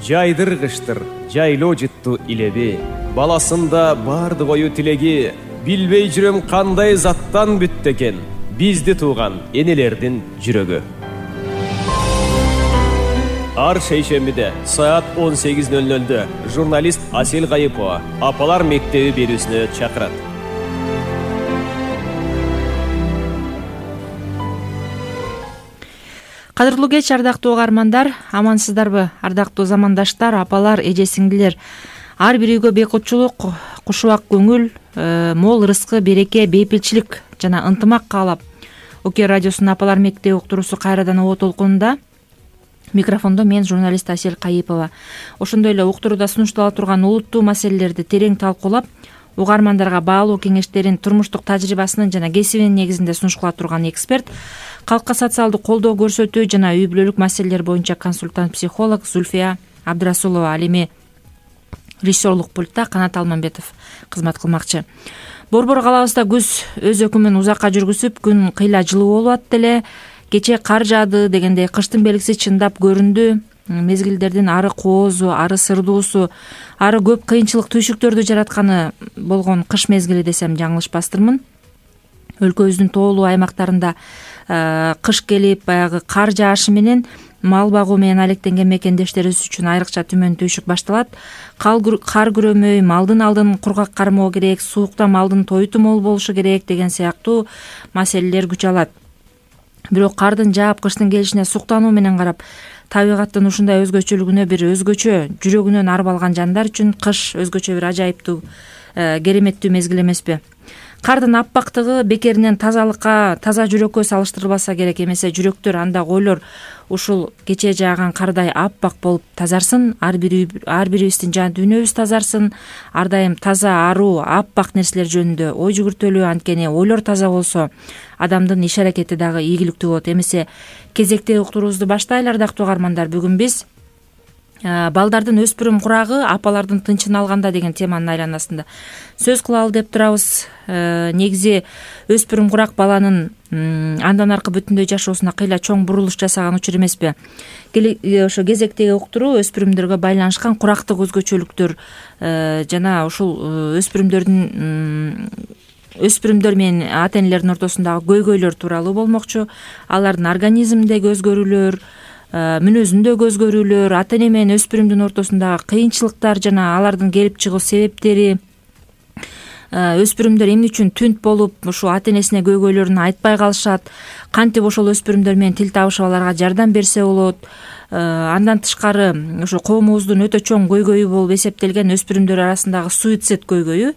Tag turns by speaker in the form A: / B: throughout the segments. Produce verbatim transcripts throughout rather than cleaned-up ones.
A: жайдыргычтыр жайлоо жытту илеби, баласында бардык ою тилеги, билбей жүрөм кандай заттан бүттү экен бизди тууган энелердин жүрөгү. Ар шейшембиде саат он сегиз ноль нольдө журналист Асель Кайыпова Апалар мектеби берүүсүнө чакырат.
B: Кадырлуу кеч, ардактуу угармандар, амансыздарбы? Ардактуу замандаштар, апалар, эже сиңдилер. Ар бир үйгө бейкутчулук, кушубак көңүл, мол ырыскы, береке, бейпилчилик жана ынтымак каалап, Оке радиосунун Апалар мектеби уктуруусу кайрадан обо толкунунда. Микрофондо мен, журналист Асель Кайыпова. Ошондой эле уктурууда сунуштала турган олуттуу маселелерди терең талкуулап, угармандарга баалуу кеңештерин, турмуштук тажрыйбасынын жана кесибинин негизинде сунуштала турган эксперт, калкка социалдык колдоо көрсөтүү жана үй бүлөлүк маселелер боюнча консультант-психолог Зульфия Абдрасулова. Ал эми режиссерлук пультта Канат Алмамбетов кызмат кылмакчы. Борбор калабызда күз өз өкүмүн узакка жүргүзүп, күн кыйла жылуу болуп атты эле. Кече кар жаады дегендей кыштын белгиси чындап көрүндү. Мезгилдердин ары коозу, ары сырдуусу, ары көп кыйынчылык түйшүктөрдү жаратканы болгон кыш мезгили десем жаңылышпастырмын. Өлкөбүздүн тоолуу аймактарында кыш келип, баягы кар жаашы менен мал багуу менен алектенген мекендештерибиз үчүн айрыкча түмөн түйшүк башталат. Кар күрөмөй, малдын алдын кургак кармоо керек, суукта малдын тойту мол болушу керек деген сыяктуу маселелер күч алат. Бирок кардын жаап, кыштын келишине суктануу менен карап, табигаттын ушундай өзгөчөлүгүнө бир өзгөчө жүрөгүнөн арып алган жандар үчүн кыш өзгөчө бир ажайыптуу, кереметтүү мезгил эмеспи? Кардын аппактыгы бекеринен тазалыкка, таза жүрөккө салыштырылбаса керек, эмесе жүрөктөр анда ойлор ушул кечээ жааган кардай аппак болуп тазарсын, ар бир ар бирибиздин жан дүйнөбүз тазарсын, ар дайым таза, аруу, аппак нерселер жөнүндө ой жүгүртөлүү. Анткени ойлор таза болсо, адамдын иш аракети дагы ийгиликтүү болот. Эмесе кезектеги уктуруубузду баштайлы, ардактуу угармандар. Бүгүн биз балдардын өспүрүм курагы, апалардын тынчын алганда деген теманын айланасында сөз кылалы деп турабыз. Негизи өспүрүм курак баланын андан аркы бүтүндөй жашоосуна кыйла чоң бурулуш жасаган учур эмеспи? Ошо кезектеги уктуруу өспүрүмдөргө байланышкан курактык өзгөчөлүктөр жана ушул өспүрүмдөрдүн өспүрүмдөр менен ата энелердин ортосундагы көйгөйлөр тууралуу болмокчу. Алардын организминдеги өзгөрүүлөр, мүнөзүндөгү өзгөрүүлөр, ата эне менен өспүрүмдүн ортосундагы кыйынчылыктар жана алардын келип чыгуу себептери, өспүрүмдөр эмне үчүн түнт болуп ушул ата энесине көйгөйлөрүн айтпай калышат, кантип ошол өспүрүмдөр менен тил табышып аларга жардам берсе болот. Андан тышкары ошо коомубуздун өтө чоң көйгөйү болуп эсептелген өспүрүмдөр арасындагы суицид көйгөйү.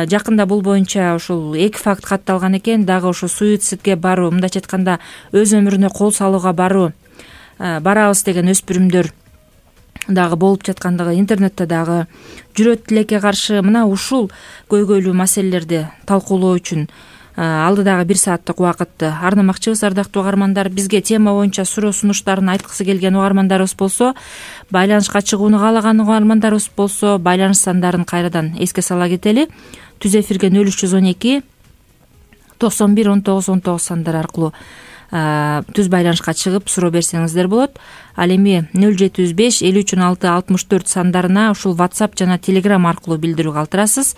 B: Жакында бул боюнча ушул эки факт катталган экен. Дагы ошо суицидге баруу, мындайча айтканда өз өмүрүнө кол салууга баруу, барабыз деген өспүрүмдөр дагы болуп жаткандыгы интернетте дагы жүрөт. Тилекке каршы мына ушул көйгөйлүү маселелерди талкуулоо үчүн алдыдагы бир сааттык убакытты арнамакчыбыз. Ардактуу угармандар, бизге тема боюнча суроо сунуштарын айткысы келген угармандарыбыз болсо, байланышка чыгууну каалаган угармандарыбыз болсо, байланыш сандарын кайрадан эске сала кетели. Түз эфирге нөл үч жүз он эки токсон бир он тогуз он тогуз сандары аркылуу түз байланышка чыгып суроо берсеңиздер болот. Ал эми нөл жети жүз беш элүү үч он алты алтымыш төрт сандарына ушул WhatsApp жана Telegram аркылуу билдирүү калтырасыз.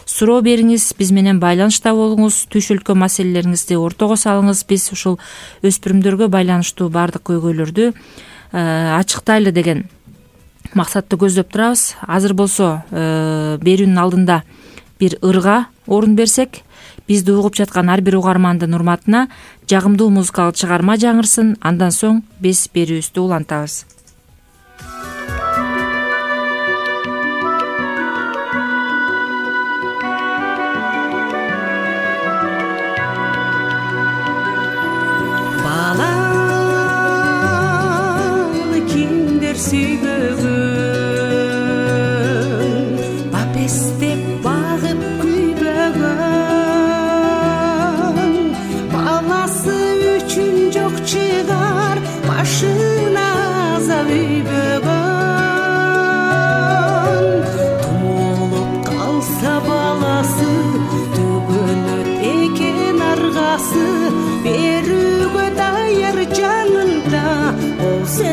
B: Суроо бериңиз, биз менен байланышта болуңуз, түйшүлгөн маселелериңизди ортого салыңыз. Биз ушул өспүрүмдөргө байланыштуу баардык көйгөйлөрдү ачыктайлы деген максатты көздөп турабыз. Азыр болсо берүүнүн алдында бир ырга орун берсек, бизди угуп жаткан ар бир угармандын урматына жагымдуу музыкалык чыгарма жаңырсын. Андан соң биз берүүбүздү улантабыз.
C: Баланы киндер сүйбөгөн, бапестеп багып күйбөгөн, баласы үчүн жок чыгар башына азап үйбөгөн. Тумолуп калса баласы, түгөнөт экен аргасы, берүүгө даяр жанында болсо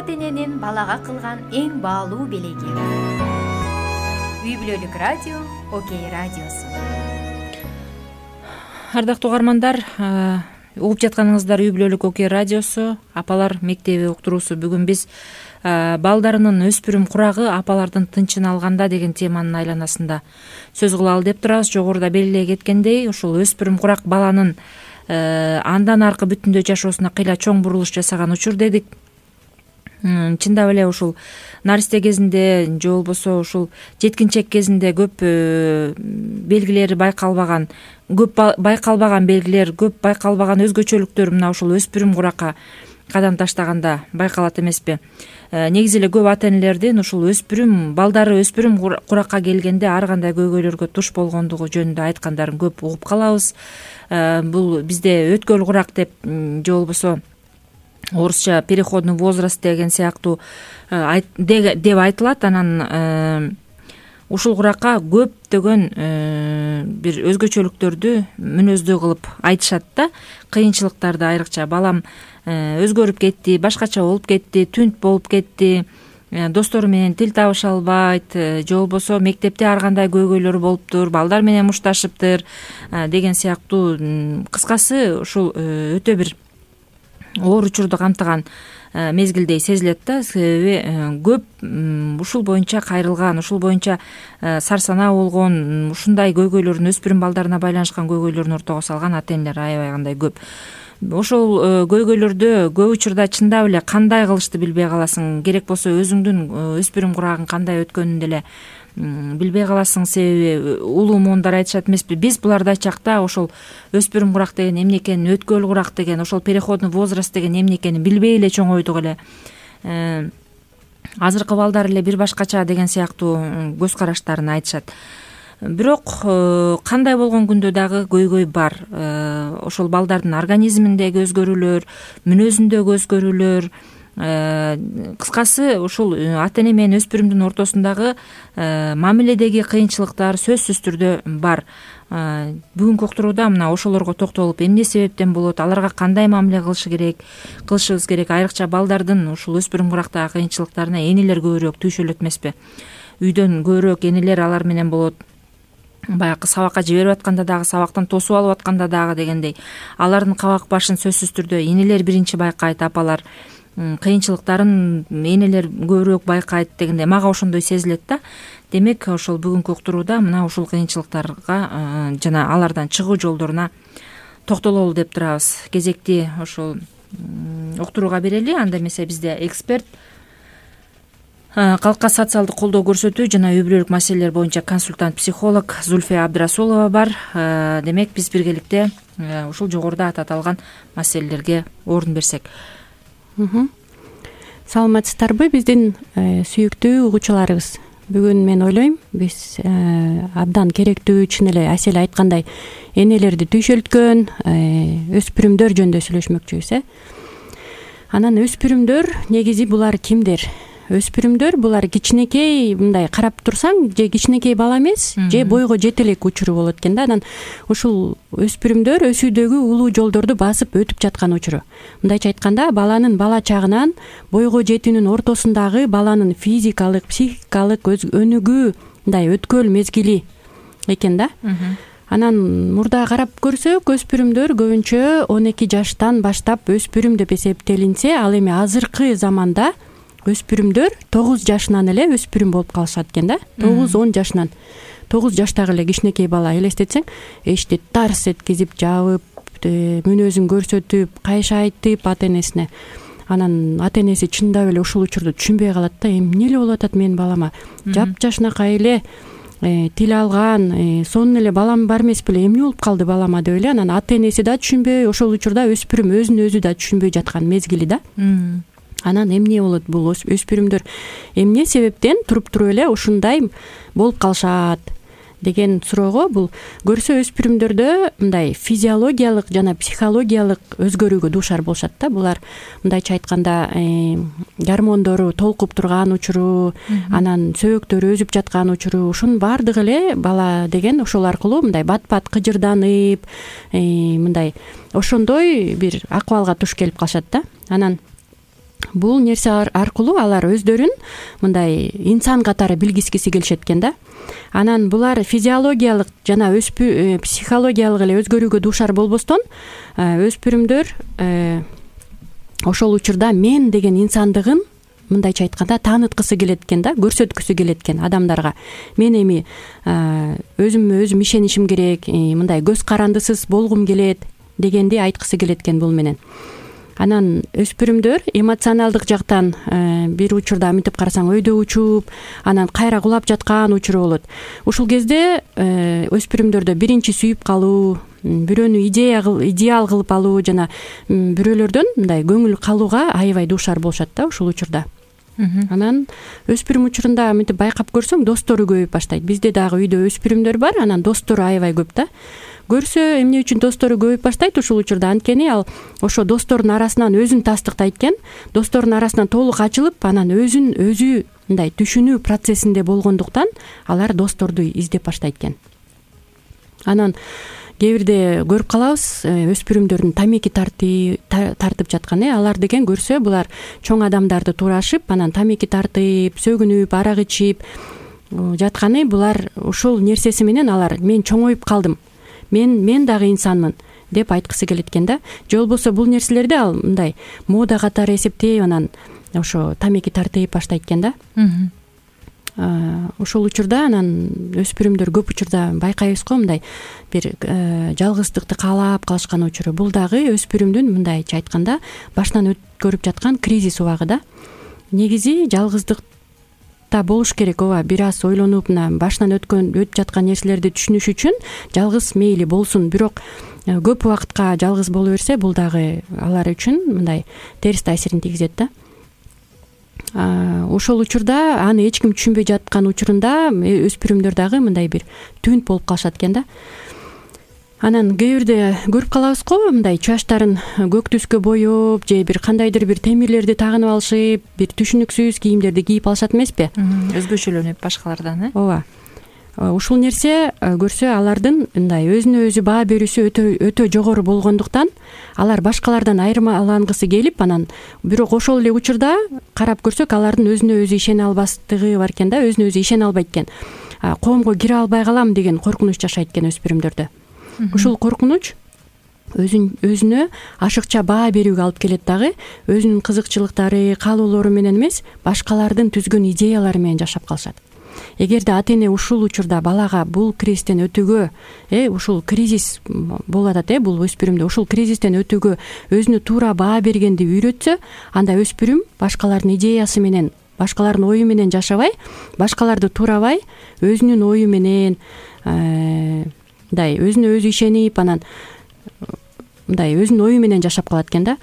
D: ата эненин балага кылган эң баалуу белеги. Үй бүлөлүк радио, Окей радиосу.
B: Ардактуу угармандар, угуп жатканыңыздар Үй бүлөлүк Окей радиосу, апалар мектеби уктуруусу. Бүгүн биз балдарынын өспүрүм курагы апалардын тынчын алганда деген теманын айланасында сөз кылалы деп турабыз. Жогоруда белгилей кеткендей, ушул өспүрүм курак баланын андан аркы бүтүндөй жашоосуна кыйла чоң бурулуш жасаган учур дедик. Чындап эле ушул наристе кезинде же болбосо ушул жеткинчек кезинде көп белгилери байкалбаган, көп байкалбаган белгилер, көп байкалбаган өзгөчөлүктөр мына ушул өспүрүм куракка кадам таштаганда байкалат эмеспи? Негизи эле көп ата энелердин ушул өспүрүм балдары өспүрүм куракка келгенде ар кандай көйгөйлөргө туш болгондугу жөнүндө айткандарын көп угуп калабыз. Бул бизде өткөл курак деп же болбосо орусча переходный возраст деген сыяктуу деп айтылат. Анан ушул куракка көптөгөн бир өзгөчөлүктөрдү мүнөздүү кылып айтышат да. Кыйынчылыктарды айрыкча балам өзгөрүп кетти, башкача болуп кетти, түнт болуп кетти, достору менен тил табыша албайт, же болбосо мектепте ар кандай көйгөйлөр болуптур, балдар менен мушташыптыр деген сыяктуу. Кыскасы ушул өтө бир оор учурду камтыган мезгилдей сезилет да. Себеби көп ушул боюнча кайрылган, ушул боюнча сарсанаа болгон, ушундай көйгөйлөрүн өспүрүм балдарына байланышкан көйгөйлөрүн ортого салган ата энелер аябай кандай көп. Ошол көйгөйлөрдө көп учурда чындап эле кандай кылышты билбей каласың. Керек болсо өзүңдүн өспүрүм курагың кандай өткөнүн деле билбей каласың. Себеби улуу моундар айтышат эмеспи? Биз буларды айтчак да, ошол өспүрүм курак деген эмне экенин, өткөл курак деген, ошол переходный возраст деген эмне экенин билбей эле чоңойдук эле. Азыркы балдар эле бир башкача деген сыяктуу көз караштарын айтышат. Бирок кандай болгон күндө дагы көйгөй бар. Ошол балдардын организминдеги өзгөрүүлөр, мүнөзүндөгү өзгөрүүлөр, кыскасы ушул ата эне менен өспүрүмдүн ортосундагы мамиледеги кыйынчылыктар сөзсүз түрдө бар. Бүгүнкү уктурууда мына ошолорго токтолуп, эмне себептен болот, аларга кандай мамиле кылышы керек, кылышыбыз керек. Айрыкча балдардын ушул өспүрүм курактагы кыйынчылыктарына энелер көбүрөөк түйшөлөт эмеспи? Үйдөн көбүрөөк энелер алар менен болот. Баягы сабакка жиберип атканда дагы, сабактан тосуп алып атканда дагы дегендей. Алардын кабак башын сөзсүз түрдө энелер биринчи байкайт, апалар кыйынчылыктарын энелер көбүрөөк байкайт дегендей. Мага ошондой сезилет да. Демек, ошол бүгүнкү уктурууда мына ушул кыйынчылыктарга жана алардан чыгуу жолдоруна токтололу деп турабыз. Кезекти ошол уктурууга берели. Анда эмесе бизде эксперт, калкка социалдык колдоо көрсөтүү жана үй бүлөлүк маселелер боюнча консультант психолог Зульфия Абдрасулова бар. Демек, биз биргеликте ушул жогоруда аталган маселелерге орун берсек.
E: Саламатсыздарбы, биздин сүйүктүү угуучуларыбыз? Бүгүн мен ойлойм, биз абдан керектүү, чын эле Асель айткандай, энелерди түйшөлткөн өспүрүмдөр жөнүндө сүйлөшмөкчүбүз. э Анан өспүрүмдөр негизи булар кимдер? Өспүрүмдөр булар кичинекей, мындай карап турсаң, же кичинекей бала эмес, же бойго жете элек учуру болот экен да. Анан ушул өспүрүмдөр өсүүдөгү улуу жолдорду басып өтүп жаткан учуру. Мындайча айтканда, баланын бала чагынан бойго жетүүнүн ортосундагы баланын физикалык, психикалык өнүгүү мындай өткөл мезгили экен да. Анан мурда карап көрсөк, өспүрүмдөр көбүнчө он эки жаштан баштап өспүрүм деп эсептелинсе, ал эми азыркы заманда өспүрүмдөр тогуз жашынан эле өспүрүм болуп калышат экен да. тогуз он жашынан. тогуз жаштагы эле кичинекей бала элестетсең, эшти тарс эткизип, жабып, мүнөзүн көрсөтүп, кайша айтып ата энесине. Анан ата энеси чындап эле ушул учурду түшүнбөй калат да, эмне эле болуп атат менин балама? Жапжашынакай эле тил алган, сонун эле балам бар эмес беле, эмне болуп калды балама деп эле. Анан ата энеси да түшүнбөй, ошол учурда өспүрүм өзүн өзү да түшүнбөй жаткан мезгили да. Анан эмне болот бул өспүрүмдөр? Эмне себептен туруп туруп эле ушундай болуп калышат деген суроого, бул көрсө өспүрүмдөрдө мындай физиологиялык жана психологиялык өзгөрүүгө дуушар болушат да. Булар мындайча айтканда гормондору толкуп турган учуру, анан сөбөктөрү өзүп жаткан учуру, ушунун баардыгы эле бала деген ошол аркылуу мындай бат-бат кыжырданып, мындай ошондой бир акыбалга туш келип калышат да. Анан бул нерсе аркылуу алар өздөрүн мындай инсан катары билгискиси келишет экен да. Анан булар физиологиялык жана өспү психологиялык эле өзгөрүүгө дуушар болбостон өспүрүмдөр ошол учурда мен деген инсандыгын мындайча айтканда тааныткысы келет экен да, көрсөткүсү келет экен адамдарга. Мен эми өзүмө өзүм ишенишим керек, мындай көз карандысыз болгум келет дегенди айткысы келет экен бул менен. Анан өспүрүмдөр эмоционалдык жактан бир учурда мынтип карасаң өйдө учуп, анан кайра кулап жаткан учуру болот. Ушул кезде өспүрүмдөрдө биринчи сүйүп калуу, бирөөнү идея идеал кылып алуу жана бирөөлөрдөн мындай көңүл калууга аябай дуушар болушат да ушул учурда. Анан өспүрүм учурунда мынтип байкап көрсөң достору көбөйүп баштайт. Бизде дагы үйдө өспүрүмдөр бар, анан достору аябай көп да. Көрсө эмне үчүн достору көбөйүп баштайт ушул учурда? Анткени ал ошо достордун арасынан өзүн тастыктайт экен, достордун арасынан толук ачылып, анан өзүн өзү мындай түшүнүү процессинде болгондуктан алар досторду издеп баштайт экен. Анан кээ бирде көрүп калабыз өспүрүмдөрдүн тамеки тартып жаткан, э алар деген көрсө булар чоң адамдарды туурашып, анан тамеки тартып, сөгүнүп, арак ичип жатканы, булар ушул нерсеси менен алар мен чоңоюп калдым, мен мен дагы инсанмын деп айткысы келет экен да. Же болбосо бул нерселерди ал мындай мода катары эсептеп, анан ошо тамеки тартып баштайт экен да. Ошол учурда анан өспүрүмдөр көп учурда байкайбыз го мындай бир жалгыздыкты каалап калышкан учуру. Бул дагы өспүрүмдүн мындайча айтканда башынан өткөрүп жаткан кризис убагы да. Негизи жалгыздыкта болуш керек, ооба, бир аз ойлонуп, мына башынан өткөн өтүп жаткан нерселерди түшүнүш үчүн жалгыз мейли болсун, бирок көп убакытка жалгыз боло берсе бул дагы алар үчүн мындай терс таасирин тийгизет да. Ошол учурда аны эч ким түшүнбөй жаткан учурунда өспүрүмдөр дагы мындай бир түнт болуп калышат экен да. Анан кээ бирде көрүп калабыз го мындай чачтарын көк түскө боеп же бир кандайдыр бир темирлерди тагынып алышып, бир түшүнүксүз кийимдерди кийип алышат эмеспи?
B: Өзгөчөлөнүп башкалардан, э?
E: Ооба. Ушул нерсе көрсө алардын мындай өзүнө өзү баа берүүсү өтө өтө жогору болгондуктан алар башкалардан айырмалангысы келип, анан бирок ошол эле учурда карап көрсөк алардын өзүнө өзү ишене албастыгы бар экен да, өзүнө өзү ишене албайт экен. Коомго кире албай калам деген коркунуч жашайт экен өспүрүмдөрдө. Ушул коркунуч өзүн өзүнө ашыкча баа берүүгө алып келет дагы, өзүнүн кызыкчылыктары, каалоолору менен эмес, башкалардын түзгөн идеялары менен жашап калышат. Эгерде ата эне ушул учурда балага бул кризистен өтүүгө, э ушул кризис болуп атат, э бул өспүрүмдө ушул кризистен өтүүгө өзүнө туура баа бергенди үйрөтсө, анда өспүрүм башкалардын идеясы менен, башкалардын ою менен жашабай, башкаларды туурабай, өзүнүн ою менен мындай өзүнө өзү ишенип, анан мындай өзүнүн ою менен жашап калат экен да.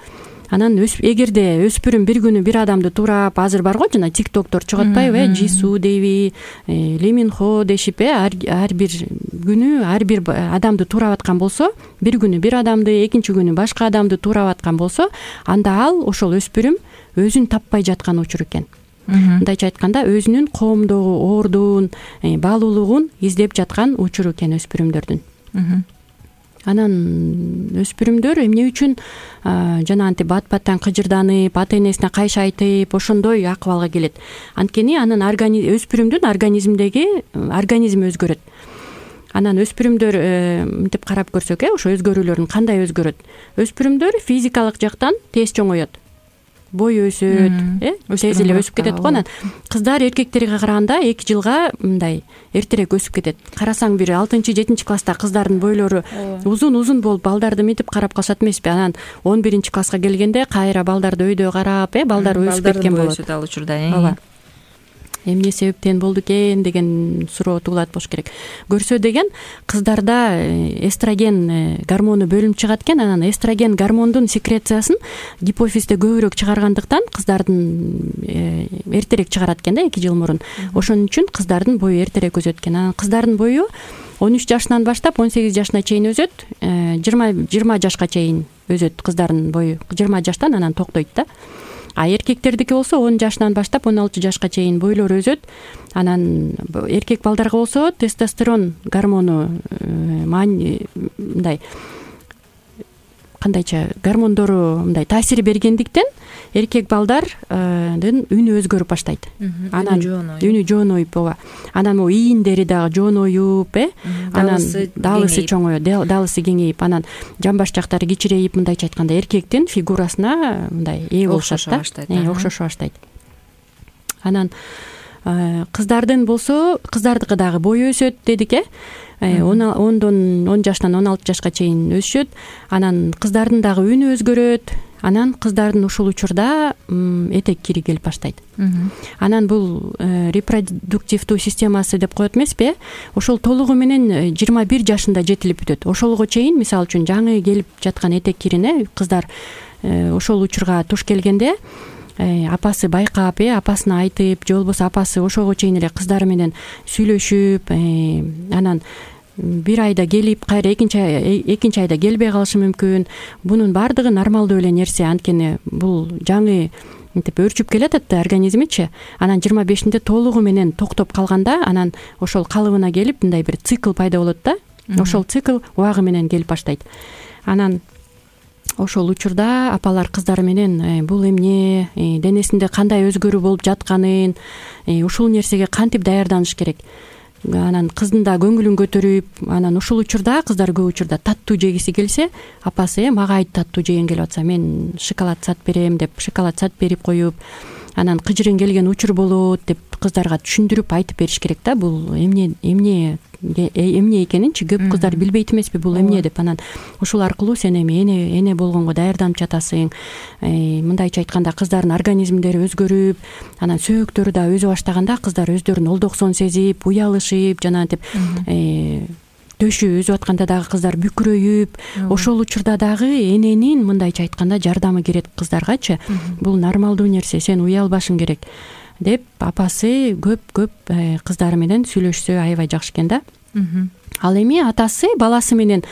E: Анан эгерде өспүрүм бир күнү бир адамды туурап, азыр бар го жана тиктоктор чыгып атпайбы, э Жису дейби, Лиминхо дешип, э ар бир күнү ар бир адамды туурап аткан болсо, бир күнү бир адамды, экинчи күнү башка адамды туурап аткан болсо, анда ал ошол өспүрүм өзүн таппай жаткан учур экен. Мындайча айтканда өзүнүн коомдогу ордун, баалуулугун издеп жаткан учур экен өспүрүмдөрдүн. Анан өспүрүмдөр эмне үчүн жана антип бат-баттан кыжырданып, ата энесине кайшы айтып, ошондой акыбалга келет? Анткени анын өспүрүмдүн организмдеги организми өзгөрөт. Анан өспүрүмдөр мынтип карап көрсөк, э ошо өзгөрүүлөрүн кандай өзгөрөт? Өспүрүмдөр физикалык жактан тез чоңоет. Бой өсөт, э тез эле өсүп кетет го. Анан кыздар эркектерге караганда эки жылга мындай эртерээк өсүп кетет. Карасаң бир алтынчы жетинчи класста кыздардын бойлору узун-узун болуп балдарды мынтип карап калышат эмеспи? Анан он биринчи класска келгенде кайра балдарды өйдө карап, э балдар өсүп кеткен болот.
B: Балдар өсөт ал учурда, э.
E: Ооба. Эмне себептен болду экен деген суроо туулат болуш керек. Көрсө деген кыздарда эстроген гормону бөлүнүп чыгат экен. Анан эстроген гормондун секрециясын гипофизде көбүрөөк чыгаргандыктан кыздардын эртерээк чыгарат экен да, эки жыл мурун. Ошон үчүн кыздардын бою эртерээк өсөт экен. Анан кыздардын бою он үч жашынан баштап он сегиз жашына чейин өсөт, жыйырма жашка чейин өсөт кыздардын бою. жыйырма жаштан анан токтойт да. А эркектердики болсо он жашынан баштап он алты жашка чейин бойлору өсөт. Анан эркек балдарга болсо тестостерон гормону мындай кандайча гормондору мындай таасир бергендиктен эркек балдардын үнү өзгөрүп баштайт. Анан үнү жонуйуп, ооба. Анан могу ийиндери дагы жонуюп, э анан даалысы чоңоюп, даалысы кеңейип, анан жамбаш жактары кичирейип, мындайча айтканда эркектин фигурасына мындай ээ болушат да, окшошо баштайт. Анан кыздардын болсо, кыздардыкы дагы бою өсөт дедик, э ондон он жаштан он алты жашка чейин өсүшөт. Анан кыздардын дагы үнү өзгөрөт. Анан кыздардын ушул учурда этек кири келип баштайт. Анан бул репродуктивдүү системасы деп коет эмеспи? Ошол толугу менен жыйырма бир жашында жетилип бүтөт. Ошолго чейин, мисалы үчүн, жаңы келип жаткан этек кирине кыздар ошол учурга туш келгенде апасы байкап, э апасына айтып, же болбосо апасы ошого чейин эле кыздары менен сүйлөшүп, анан бир айда келип, кайра экинчи экинчи айда келбей калышы мүмкүн. Бунун баардыгы нормалдуу эле нерсе, анткени бул жаңы мынтип өрчүп келатат да организмичи. Анан жыйырма бешинде толугу менен токтоп калганда, анан ошол калыбына келип, мындай бир цикл пайда болот да. Ошол цикл убагы менен келип баштайт. Анан ошол учурда апалар кыздары менен бул эмне, денесинде кандай өзгөрүү болуп жатканын, ушул нерсеге кантип даярданыш керек. Анан кыздын да көңүлүн көтөрүп, анан ушул учурда кыздар көп учурда таттуу жегиси келсе, апасы мага айт таттуу жеген келип атса, мен шоколад сатып берем деп шоколад сатып берип коюп, анан кыжырың келген учур болот деп кыздарга түшүндүрүп айтып бериш керек да. Бул эмне эмне эмне экенинчи көп кыздар билбейт эмеспи, бул эмне деп. Анан ушул аркылуу сен эми эне эне болгонго даярданып жатасың. Мындайча айтканда, кыздардын организмдери өзгөрүп, анан сөөктөрү да өзө баштаганда кыздар өздөрүн олдоксон сезип, уялышып, жанагынтип төшү өзүп атканда дагы кыздар бүкүрөйүп, ошол учурда дагы эненин мындайча айтканда жардамы керек кыздаргачы. Бул нормалдуу нерсе, сен уялбашың керек деп апасы көп-көп кыздары менен сүйлөшсө аябай жакшы экен да. Ал эми атасы баласы менен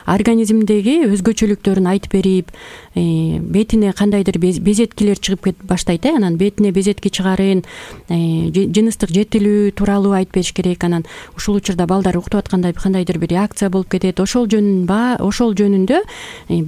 E: организмдеги өзгөчөлүктөрүн айтып берип, бетине кандайдыр безеткилер чыгып кетип баштайт, э анан бетине безетки чыгарын, жыныстык жетилүү тууралуу айтып бериш керек. Анан ушул учурда балдар уктуп атканда кандайдыр бир реакция болуп кетет. Ошол жөнүндө ошол жөнүндө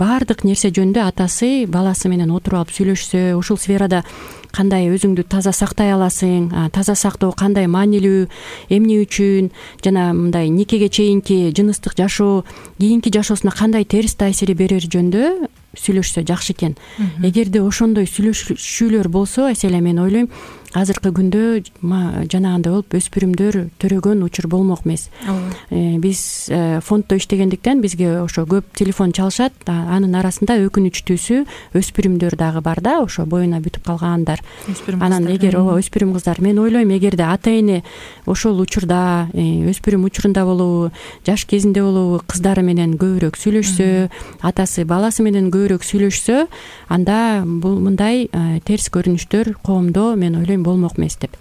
E: баардык нерсе жөнүндө атасы баласы менен отуруп алып сүйлөшсө, ушул сферада кандай өзүңдү таза сактай аласың, таза сактоо кандай маанилүү, эмне үчүн, жана мындай никеге чейинки жыныстык жашоо кийинки жашоосуна кандай терс таасири берери жөнүндө сүйлөшсө жакшы экен. Эгерде ошондой сүйлөшүүлөр болсо, эселе мен ойлойм, азыркы күндө жанагындай болуп өспүрүмдөр төрөгөн учур болмок эмес. Биз фонддо иштегендиктен бизге ошо көп телефон чалышат. Анын арасында өкүнүчтүүсү өспүрүмдөр дагы бар да, ошо боюна бүтүп калгандар. Анан эгер ооба өспүрүм кыздар, мен ойлойм, эгерде ата эне ошол учурда, өспүрүм учурунда болобу, жаш кезинде болобу, кыздары менен көбүрөөк сүйлөшсө, атасы баласы менен көбүрөөк сүйлөшсө, анда бул мындай терс көрүнүштөр коомдо, мен ойлойм, болмок эмес деп.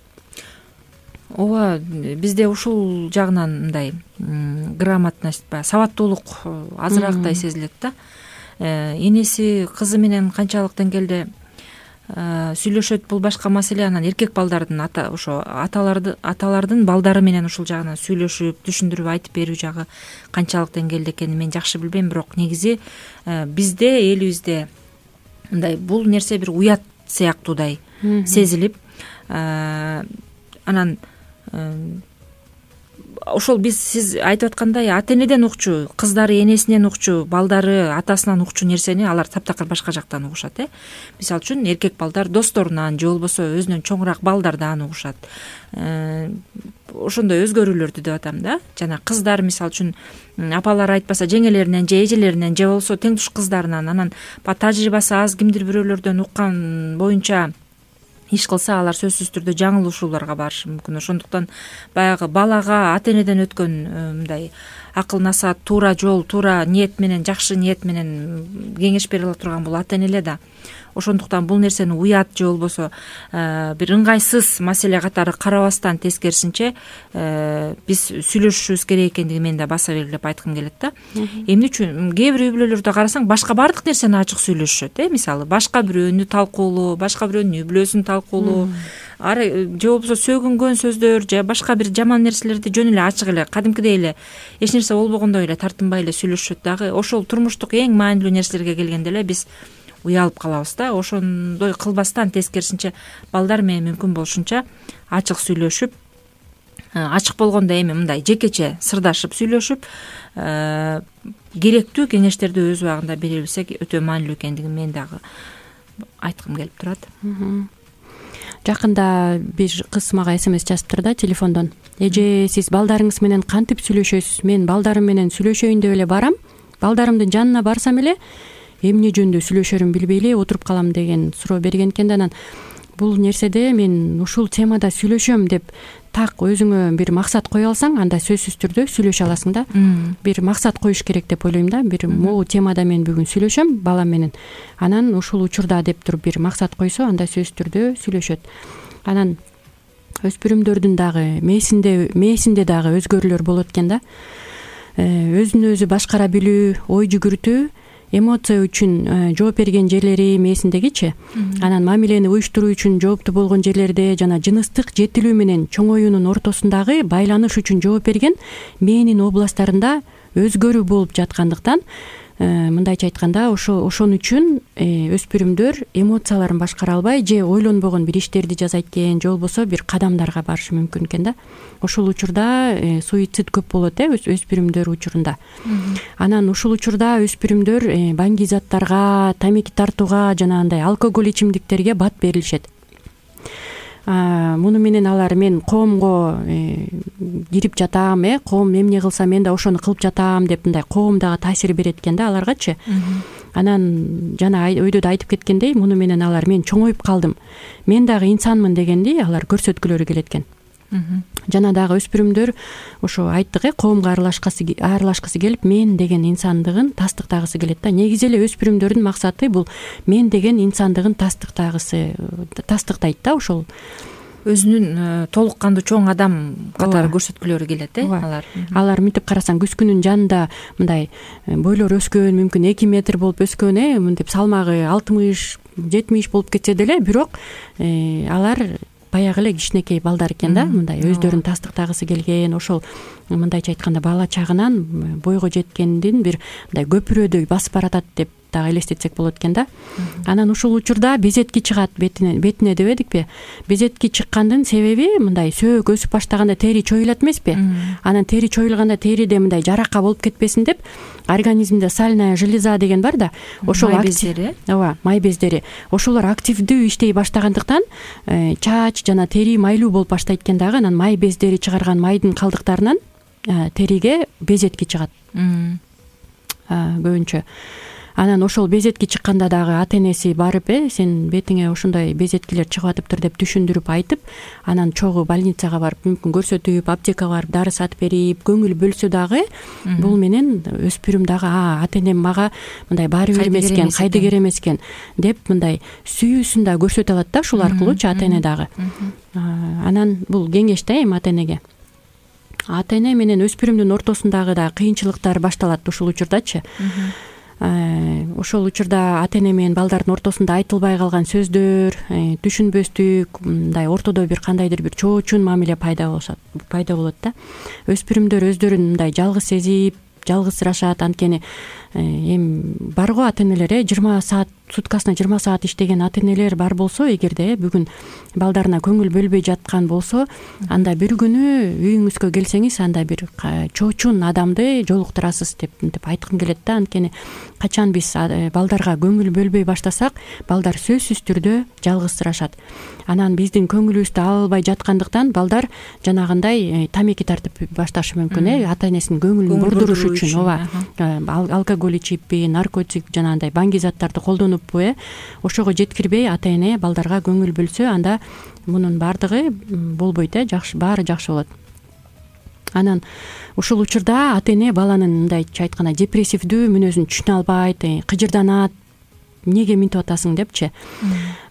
B: Ооба, бизде ушул жагынан мындай грамотность, сабаттуулук азыраагдай сезилет да. Энеси кызы менен канчалык деңгээлде сүйлөшөт, бул башка маселе. Анан эркек балдардын ата ошо аталарды аталардын балдары менен ушул жагынан сүйлөшүп, түшүндүрүп айтып берүү жагы канчалык деңгээлде экенин мен жакшы билбейм, бирок негизи бизде, элибизде мындай бул нерсе бир уят сыяктуудай сезилип, анан ошол биз сиз айтып аткандай ата энеден укчу, кыздары энесинен укчу, балдары атасынан укчу нерсени алар таптакыр башка жактан угушат, э мисалы үчүн эркек балдар досторунан же болбосо өзүнөн чоңураак балдардан угушат. Ошондой өзгөрүүлөрдү деп атам да. Жана кыздар мисалы үчүн апалары айтпаса жеңелеринен же эжелеринен же болбосо тең туш кыздарынан, анан тажрыйбасы аз кимдир бирөөлөрдөн уккан боюнча иш кылса, алар сөзсүз түрдө жаңылышууларга барышы мүмкүн. Ошондуктан баягы балага ата энеден өткөн мындай акыл насаат, туура жол, туура ниет менен, жакшы ниет менен кеңеш бере ала турган бул ата энелер да. Ошондуктан бул нерсени уят же болбосо бир ыңгайсыз маселе катары карабастан, тескерисинче биз сүйлөшүшүбүз керек экендиги мен да баса белгилеп айткым келет да. Эмне үчүн кээ бир үй бүлөлөрдө карасаң, башка баардык нерсени ачык сүйлөшүшөт, э мисалы башка бирөөнү талкуулоо, башка бирөөнүн үй бүлөсүн талкуулоо, же болбосо сөгүнгөн сөздөр же башка бир жаман нерселерди жөн эле ачык эле кадимкидей эле эч нерсе болбогондой эле тартынбай эле сүйлөшүшөт дагы. Ошол турмуштук эң маанилүү нерселерге келгенде эле биз уялып калабыз да. Ошондой кылбастан тескерисинче балдар менен мүмкүн болушунча ачык сүйлөшүп, ачык болгондо эми мындай жекече сырдашып сүйлөшүп, керектүү кеңештерди өз убагында бере билсек өтө маанилүү экендигин мен дагы айткым келип турат.
E: Жакында бир кыз мага смс жазыптыр да телефондон. Эже, сиз балдарыңыз менен кантип сүйлөшөсүз? Мен балдарым менен сүйлөшөйүн деп эле барам. Балдарымдын жанына барсам эле эмне жөнүндө сүйлөшөрүмүн билбей эле отуруп калам деген суроо берген экен да. Анан бул нерседе мен ушул темада сүйлөшөм деп так өзүңө бир максат кое алсаң, анда сөзсүз түрдө сүйлөшө аласың да. Бир максат коюш керек деп ойлойм да. Бир могу темада мен бүгүн сүйлөшөм балам менен. Анан ушул учурда деп туруп бир максат койсо, анда сөзсүз түрдө сүйлөшөт. Анан өспүрүмдөрдүн дагы мээсинде мээсинде дагы өзгөрүүлөр болот экен да. Өзүн өзү башкара билүү, ой жүгүртүү, эмоция үчүн жооп берген жерлери мээсиндегичи. Анан мамилени уюштуруу үчүн жооптуу болгон жерлерде жана жыныстык жетилүү менен чоңоюунун ортосундагы байланыш үчүн жооп берген мээнин областтарында өзгөрүү болуп жаткандыктан, мындайча айтканда, ошо ошон үчүн өспүрүмдөр эмоцияларын башкара албай же ойлонбогон бир иштерди жасайт экен, же болбосо бир кадамдарга барышы мүмкүн экен да. Ошол учурда суицид көп болот э өспүрүмдөр учурунда. Анан ушул учурда өспүрүмдөр баңги заттарга, тамеки тартууга жана андай алкоголь ичимдиктерге бат берилишет. Муну менен алар мен коомго кирип жатам, э коом эмне кылса мен да ошону кылып жатам деп мындай коомдогу таасир берет экен да аларгачы. Анан жана өйдө да айтып кеткендей, муну менен алар мен чоңоюп калдым, мен дагы инсанмын дегенди алар көрсөткүлөрү келет экен. Жана дагы өспүрүмдөр ошо айттык э коомго аралашкысы аралашкысы келип, мен деген инсандыгын тастыктагысы келет да. Негизи эле өспүрүмдөрдүн максаты бул мен деген инсандыгын тастыктагысы тастыктайт да. Ошол
B: өзүнүн толук кандуу чоң адам катары көрсөткүлөрү келет э алар.
E: Алар мынтип карасаң күзгүнүн жанында мындай бойлору өскөн, мүмкүн эки метр болуп өскөн, э мынтип салмагы алтымыш жетимиш болуп кетсе деле, бирок алар баягы эле кичинекей балдар экен да. Мындай өздөрүн тастыктагысы келген, ошол мындайча айтканда бала чагынан бойго жеткендин бир мындай көпүрөдөй басып баратат деп дагы элестетсек болот экен да. Анан ушул учурда безетки чыгат бетине бетине дебедикпи? Безетки чыккандын себеби мындай сөөк өсүп баштаганда тери чоюлат эмеспи? Анан тери чоюлганда териде мындай жарака болуп кетпесин деп организмде сальная железа деген бар да. Ошол
B: май бездери.
E: Ооба, май бездери. Ошолор активдүү иштей баштагандыктан чач жана тери майлуу болуп баштайт экен дагы. Анан май бездери чыгарган майдын калдыктарынан териге безетки чыгат. Көбүнчө. Анан ошол безетки чыкканда дагы ата энеси барып, э сен бетиңе ошондой безеткилер чыгып атыптыр деп түшүндүрүп айтып, анан чогуу больницага барып, мүмкүн көрсөтүп, аптекага барып дары сатып берип, көңүл бөлсө дагы, бул менен өспүрүм дагы ата энем мага мындай баары бир эмес экен, кайдыгер эмес экен деп мындай сүйүүсүн да көрсөтө алат да ушул аркылуучу ата эне дагы. Анан бул кеңеш да эми ата энеге. Ата эне менен өспүрүмдүн ортосундагы да кыйынчылыктар башталат ушул учурдачы. Ошол учурда ата эне менен балдардын ортосунда айтылбай калган сөздөр, түшүнбөстүк, мындай ортодо бир кандайдыр бир чоочун мамиле пайда болот, пайда болот да. Өспүрүмдөр өздөрүн мындай жалгыз сезип, жалгызсырашат. Анткени эми бар го ата энелер, э жыйырма саат суткасына жыйырма саат иштеген ата энелер бар болсо, эгерде бүгүн балдарына көңүл бөлбөй жаткан болсо, анда бир күнү үйүңүзгө келсеңиз, анда бир чоочун адамды жолуктурасыз деп мынтип айткым келет да. Анткени качан биз балдарга көңүл бөлбөй баштасак, балдар сөзсүз түрдө жалгызсырашат. Анан биздин көңүлүбүздү ала албай жаткандыктан балдар жанагындай тамеки тартып башташы мүмкүн, э ата энесинин көңүлүн бурдуруш үчүн. Ооба, алкоголь ичиппи, наркотик жана андай баңги заттарды колдонуппу, э ошого жеткирбей ата эне балдарга көңүл бөлсө, анда мунун баардыгы болбойт, э жакшы, баары жакшы болот. Анан ушул учурда ата эне баланын мындайча айтканда депрессивдүү мүнөзүн түшүнө албайт, кыжырданат, эмнеге минтип атасың депчи.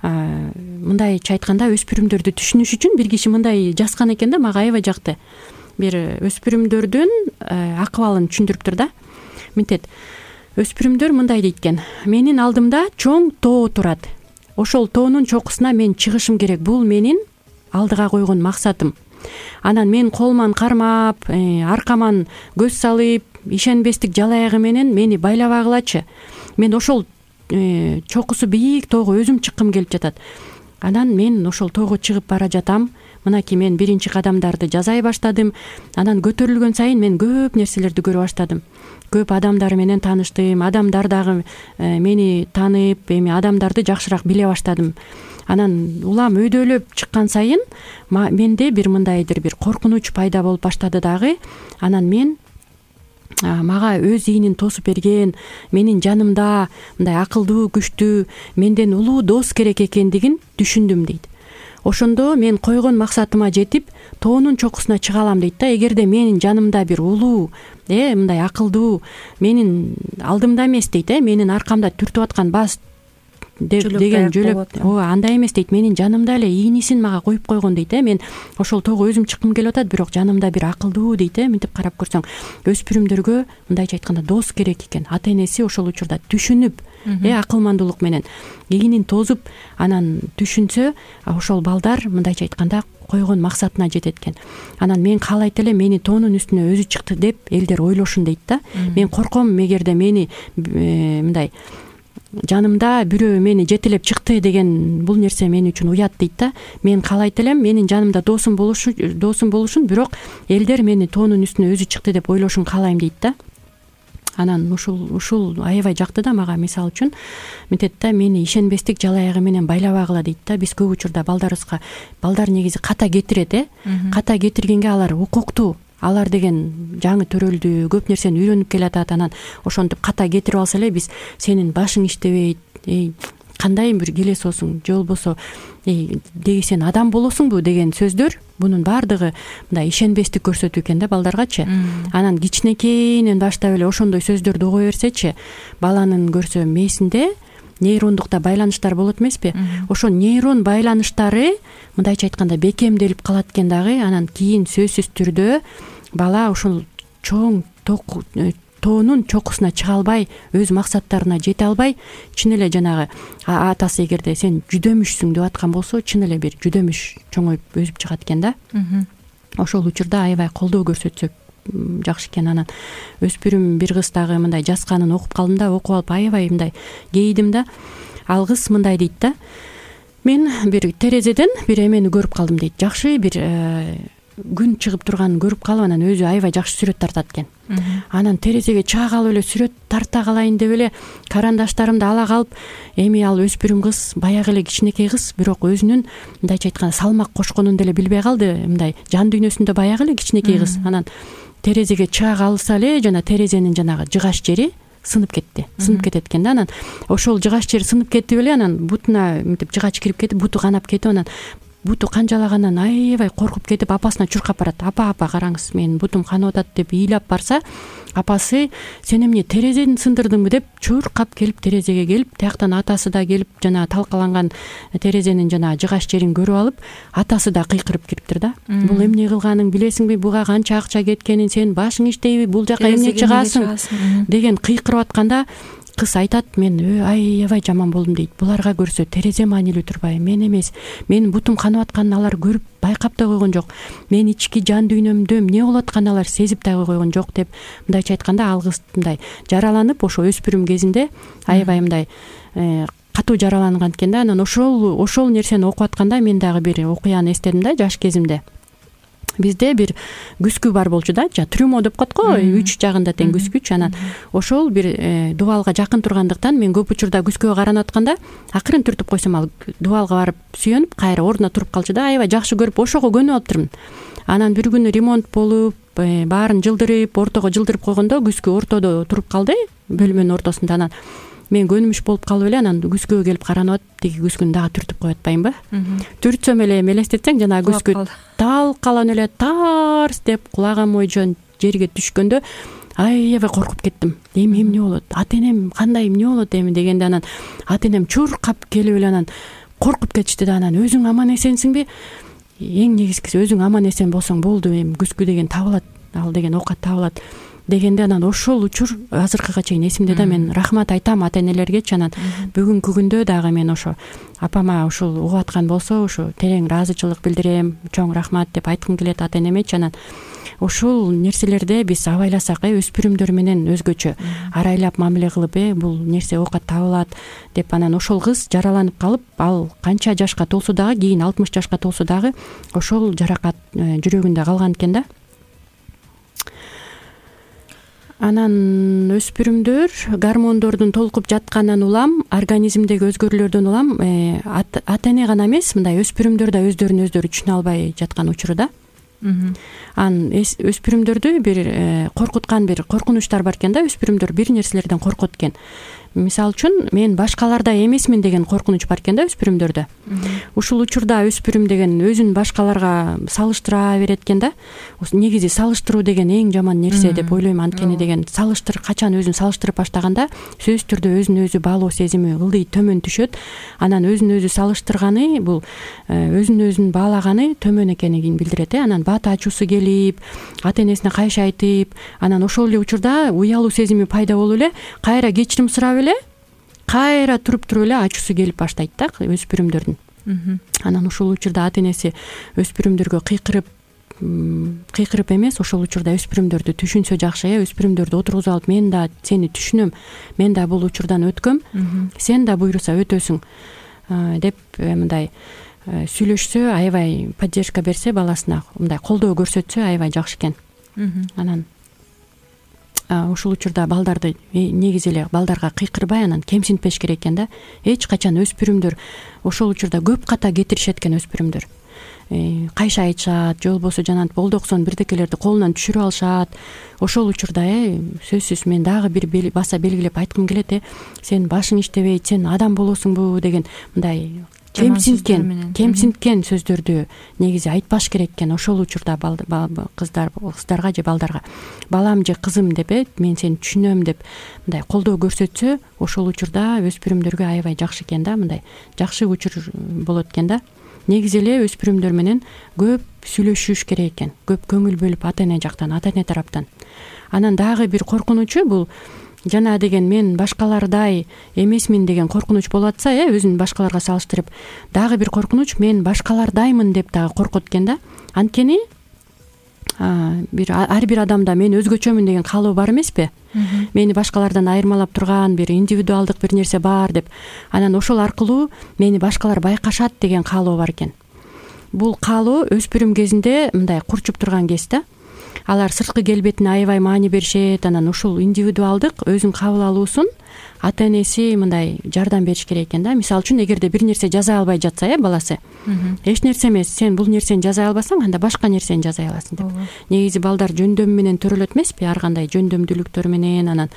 E: Мындайча айтканда өспүрүмдөрдү түшүнүш үчүн бир киши мындай жазган экен да, мага аябай жакты. Бир өспүрүмдөрдүн акыбалын түшүндүрүптүр да. Мынтет, өспүрүмдөр мындай дейт экен: менин алдымда чоң тоо турат. Ошол тоонун чокусуна мен чыгышым керек. Бул менин алдыга койгон максатым. Анан мен колман кармап, аркаман көз салып, ишенбестик жал аягы менен мени байлабагылачы. Мен ошол чокусу бийик тоого өзүм чыккым келип жатат. Анан мен ошол тоого чыгып бара жатам. Мынакей мен биринчи кадамдарды жасай баштадым. Анан көтөрүлгөн сайын мен көп нерселерди көрө баштадым. Көп адамдар менен тааныштым. Адамдар дагы мени таанып, эми адамдарды жакшыраак биле баштадым. Анан улам өйдөлөп чыккан сайын менде бир мындайдыр бир коркунуч пайда болуп баштады дагы. Анан мен мага өз ийинин тосуп берген, менин жанымда мындай акылдуу, күчтүү, менден улуу дос керек экендигин түшүндүм дейт. Ошондо мен койгон максатыма жетип, тоонун чокусуна чыга алам дейт да. Эгерде менин жанымда бир улуу, э мындай акылдуу, менин алдымда эмес дейт, э менин аркамда түртүп аткан баш деген жөлөп, ооба андай эмес дейт. Менин жанымда эле ийнисин мага коюп койгон дейт, э мен ошол тоого өзүм чыккым келип атат, бирок жанымда бир акылдуу дейт, э мынтип карап көрсөң, өспүрүмдөргө мындайча айтканда дос керек экен. Ата энеси ошол учурда түшүнүп, э акылмандуулук менен ийинин тозуп, анан түшүнсө, ошол балдар мындайча айтканда койгон максатына жетет экен. Анан мен каалайт элем мени тоонун үстүнө өзү чыкты деп элдер ойлошун дейт да. Мен корком, эгерде мени мындай жанымда бирөө мени жетелеп чыкты деген бул нерсе мен үчүн уят дейт да. Мен каалайт элем менин жанымда досум болушу досум болушун, бирок элдер мени тоонун үстүнө өзү чыкты деп ойлошун каалайм дейт да. Анан ушул ушул аябай жакты да мага. Мисалы үчүн мынтет да, мени ишенбестик жал аягы менен байлабагыла дейт да. Биз көп учурда балдарыбызга, балдар негизи ката кетирет, э ката кетиргенге алар укуктуу. Алар деген жаңы төрөлдү, көп нерсени үйрөнүп келатат. Анан ошентип ката кетирип алса эле биз сенин башың иштебейт, эй кандай бир келесосуң, же болбосо эй деги сен адам болосуңбу деген сөздөр, бунун баардыгы мындай ишенбестик көрсөтүү экен да балдаргачы. Анан кичинекейинен баштап эле ошондой сөздөрдү уга берсечи, баланын көрсө мээсинде нейрондукта байланыштар болот эмеспи? Ошо нейрон байланыштары мындайча айтканда бекемделип калат экен дагы. Анан кийин сөзсүз түрдө бала ошол чоң тоонун чокусуна чыга албай, өз максаттарына жете албай, чын эле жанагы атасы эгерде сен жүдөмүшсүң деп аткан болсо, чын эле бир жүдөмүш чоңоюп өсүп чыгат экен да. Ошол учурда аябай колдоо көрсөтсөк жакшы экен. Анан өспүрүм бир кыз дагы мындай жазганын окуп калдым да, окуп алып аябай мындай кейидим да. Ал кыз мындай дейт да: мен бир терезеден бир эмени көрүп калдым дейт. Жакшы бир күн чыгып турганын көрүп калып, анан өзү аябай жакшы сүрөт тартат экен. Анан терезеге чыга калып эле сүрөт тарта калайын деп эле карандаштарымды ала калып, эми ал өспүрүм кыз, баягы эле кичинекей кыз, бирок өзүнүн мындайча айтканда салмак кошконун деле билбей калды. Мындай жан дүйнөсүндө баягы эле кичинекей кыз. Анан терезеге чыга калса эле жана терезенин жанагы жыгач жери сынып кетти. Сынып кетет экен да. Анан ошол жыгач жери сынып кетип эле, анан бутуна мынтип жыгач кирип кетип, буту канап кетип, анан буту канжалагандан аябай коркуп кетип, апасына чуркап барат. Апа, апа караңыз, менин бутум канып атат деп ыйлап барса, апасы сен эмне терезени сындырдыңбы деп чуркап келип терезеге келип, тияктан атасы да келип жана талкаланган терезенин жана жыгач жерин көрүп алып, атасы да кыйкырып кириптир да. Бул эмне кылганың билесиңби, буга канча акча кеткенин, сен башың иштейби, бул жака эмне чыгасың деген кыйкырып атканда, кыз айтат: мен аябай жаман болдум дейт. Буларга көрсө терезе маанилүү турбайбы? Мен эмес, менин бутум канып атканын алар көрүп байкап да койгон жок. Мен ички жан дүйнөмдө эмне болуп атканын алар сезип дагы койгон жок деп, мындайча айтканда ал кыз мындай жараланып, ошо өспүрүм кезинде аябай мындай катуу жараланган экен да. Анан ошол ошол нерсени окуп атканда мен дагы бир окуяны эстедим да, жаш кезимде. Бизде бир күскү бар болчу да, трюмо деп коет го, үч жагында тең күскүч. Анан ошол бир дубалга жакын тургандыктан мен көп учурда күскөгө каранып атканда акырын түртүп койсом, ал дубалга барып сүйөнүп кайра ордуна туруп калчу да. Аябай жакшы көрүп ошого көнүп алыптырмын. Анан бир күнү ремонт болуп, баарын жылдырып, ортого жылдырып койгондо күскү ортодо туруп калды, бөлмөнүн ортосунда. Анан мен көнүмүш болуп калып эле, анан күскөгө келип каранып атып, тиги күскүнү дагы түртүп коюп атпайынбы? Түртсөм эле мелестетсең, жана күскү талкаланып эле тарс деп кулаган мойжон жерге түшкөндө аябай коркуп кеттим. Эми эмне болот? Ата энем кандай, эмне болот эми дегенде, анан ата энем чуркап келип эле анан коркуп кетишти да. Анан өзүң аман эсенсиңби? Эң негизгиси өзүң аман эсен болсоң болду, эми күскү деген табылат ал деген оокат табылат дегенде, анан ошол учур азыркыга чейин эсимде да. Мен рахмат айтам ата энелергечи. Анан бүгүнкү күндө дагы мен ошо апама ушул угуп аткан болсо ошо терең ыраазычылык билдирем, чоң рахмат деп айткым келет ата энемечи. Анан ушул нерселерде биз абайласак, э өспүрүмдөр менен өзгөчө арайлап мамиле кылып, э бул нерсе оокат табылат деп, анан ошол кыз жараланып калып, ал канча жашка толсо дагы, кийин алтымыш жашка толсо дагы ошол жаракат жүрөгүндө калган экен да. Анан өспүрүмдөр гормондордун толкуп жатканынан улам, организмдеги өзгөрүүлөрдөн улам ата эне гана эмес, мындай өспүрүмдөр да өздөрүн өздөрү түшүнө албай жаткан учурда. Анан өспүрүмдөрдү бир коркуткан бир коркунучтар бар экен да. Өспүрүмдөр бир нерселерден коркот экен. Мисалы үчүн, мен башкалардай эмесмин деген коркунуч бар экен да өспүрүмдөрдө. Ушул учурда өспүрүм деген өзүн башкаларга салыштыра берет экен да. Негизи салыштыруу деген эң жаман нерсе деп ойлойм. Анткени деген салыштыр качан өзүн салыштырып баштаганда сөзсүз түрдө өзүн өзү баалоо сезими ылдый төмөн түшөт. Анан өзүн өзү салыштырганы бул өзүн өзүн баалаганы төмөн экенин билдирет. Анан бат ачуусу келип, ата энесине кайшы айтып, анан ошол эле учурда уялуу сезими пайда болуп эле, кайра кечирим сурап эле, кайра туруп туруп эле ачуусу келип баштайт да өспүрүмдөрдүн. Анан ушул учурда ата энеси өспүрүмдөргө кыйкырып кыйкырып эмес, ошол учурда өспүрүмдөрдү түшүнсө жакшы, э өспүрүмдөрдү отургузуп алып, мен да сени түшүнөм, мен да бул учурдан өткөм, сен да буйруса өтөсүң деп мындай сүйлөшсө, аябай поддержка берсе баласына, мындай колдоо көрсөтсө аябай жакшы экен. Анан ушул учурда балдарды негизи эле балдарга кыйкырбай, анан кемсинтпеш керек экен да. Эч качан өспүрүмдөр ошол учурда көп ката кетиришет экен өспүрүмдөр. Кайшы айтышат, же болбосо жанагы болдоксон бирдекелерди колунан түшүрүп алышат. Ошол учурда э сөзсүз мен дагы бир баса белгилеп айткым келет, э сен башың иштебейт, сен адам болосуңбу деген мындай кемсинткен кемсинткен сөздөрдү негизи айтпаш керек экен. Ошол учурда кыздар кыздарга же балдарга балам же кызым деп, э мен сени түшүнөм деп мындай колдоо көрсөтсө, ошол учурда өспүрүмдөргө аябай жакшы экен да. Мындай жакшы учур болот экен да. Негизи эле өспүрүмдөр менен көп сүйлөшүш керек экен, көп көңүл бөлүп ата эне жактан, ата эне тараптан. Анан дагы бир коркунучу бул жана деген мен башкалардай эмесмин деген коркунуч болуп атса, э өзүн башкаларга салыштырып, дагы бир коркунуч мен башкалардаймын деп дагы коркот экен да. Анткени бир ар бир адамда мен өзгөчөмүн деген каалоо бар эмеспи? Мени башкалардан айырмалап турган бир индивидуалдык бир нерсе бар деп. Анан ошол аркылуу мени башкалар байкашат деген каалоо бар экен. Бул каалоо өспүрүм кезинде мындай курчуп турган кез да. Алар сырткы келбетине аябай маани беришет. Анан ушул индивидуалдык өзүн кабыл алуусун ата энеси мындай жардам бериш керек экен да. Мисалы үчүн, эгерде бир нерсе жаза албай жатса, э баласы, эч нерсе эмес, сен бул нерсени жаза албасаң, анда башка нерсени жаза аласың деп. Негизи балдар жөндөм менен төрөлөт эмеспи? Ар кандай жөндөмдүүлүктөр менен. Анан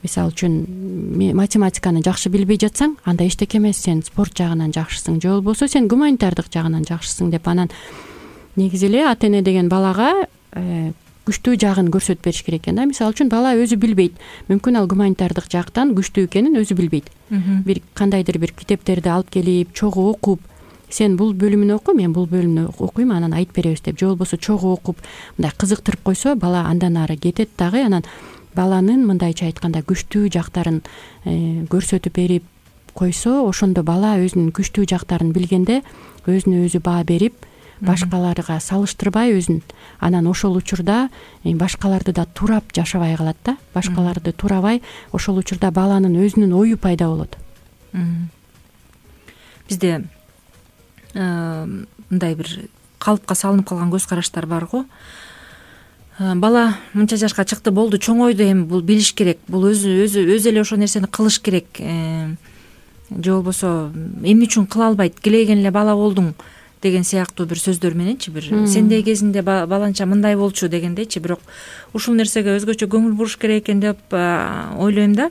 E: мисалы үчүн математиканы жакшы билбей жатсаң, анда эчтеке эмес, сен спорт жагынан жакшысың, же болбосо сен гуманитардык жагынан жакшысың деп. Анан негизи эле ата эне деген балага күчтүү жагын көрсөтүп бериш керек экен да. Мисалы үчүн, бала өзү билбейт, мүмкүн ал гуманитардык жактан күчтүү экенин өзү билбейт. Бир кандайдыр бир китептерди алып келип, чогуу окуп, сен бул бөлүмүн оку, мен бул бөлүмүнү окуйм, анан айтып беребиз деп, же болбосо чогуу окуп мындай кызыктырып койсо, бала андан ары кетет дагы. Анан баланын мындайча айтканда күчтүү жактарын көрсөтүп берип койсо, ошондо бала өзүнүн күчтүү жактарын билгенде өзүнө өзү баа берип, башкаларга салыштырбай өзүн, анан ошол учурда башкаларды да турап жашабай калат да. Башкаларды турабай, ошол учурда баланын өзүнүн ою пайда болот.
B: Бизде мындай бир калыпка салынып калган көз караштар бар го. Бала мынча жашка чыкты, болду, чоңойду, эми бул билиш керек, бул өзү өзү өзү эле ошол нерсени кылыш керек, же болбосо эмне үчүн кыла албайт, келеген эле бала болдуң деген сыяктуу бир сөздөр мененчи, бир сендей кезинде баланча мындай болчу дегендейчи. Бирок ушул нерсеге өзгөчө көңүл буруш керек экен деп ойлойм да.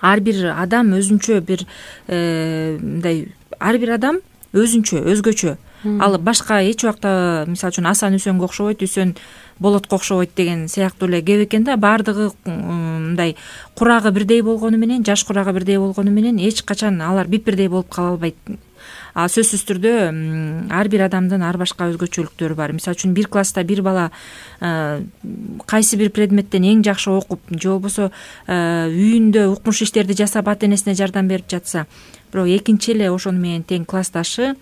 B: Ар бир адам өзүнчө бир мындай, ар бир адам өзүнчө, өзгөчө. Ал башка эч убакта, мисалы үчүн, Асан Үсөнгө окшобойт, Үсөн Болотко окшобойт деген сыяктуу эле кеп экен да. Баардыгы мындай курагы бирдей болгону менен, жаш курагы бирдей болгону менен эч качан алар бип бирдей болуп кала албайт. а сөзсүз түрдө ар бир адамдын ар башка өзгөчөлүктөрү бар. Мисалы үчүн бир класста бир бала кайсы бир предметтен эң жакшы окуп же болбосо үйүндө укмуш иштерди жасап ата энесине жардам берип жатса, бирок экинчи эле ошону менен тең классташы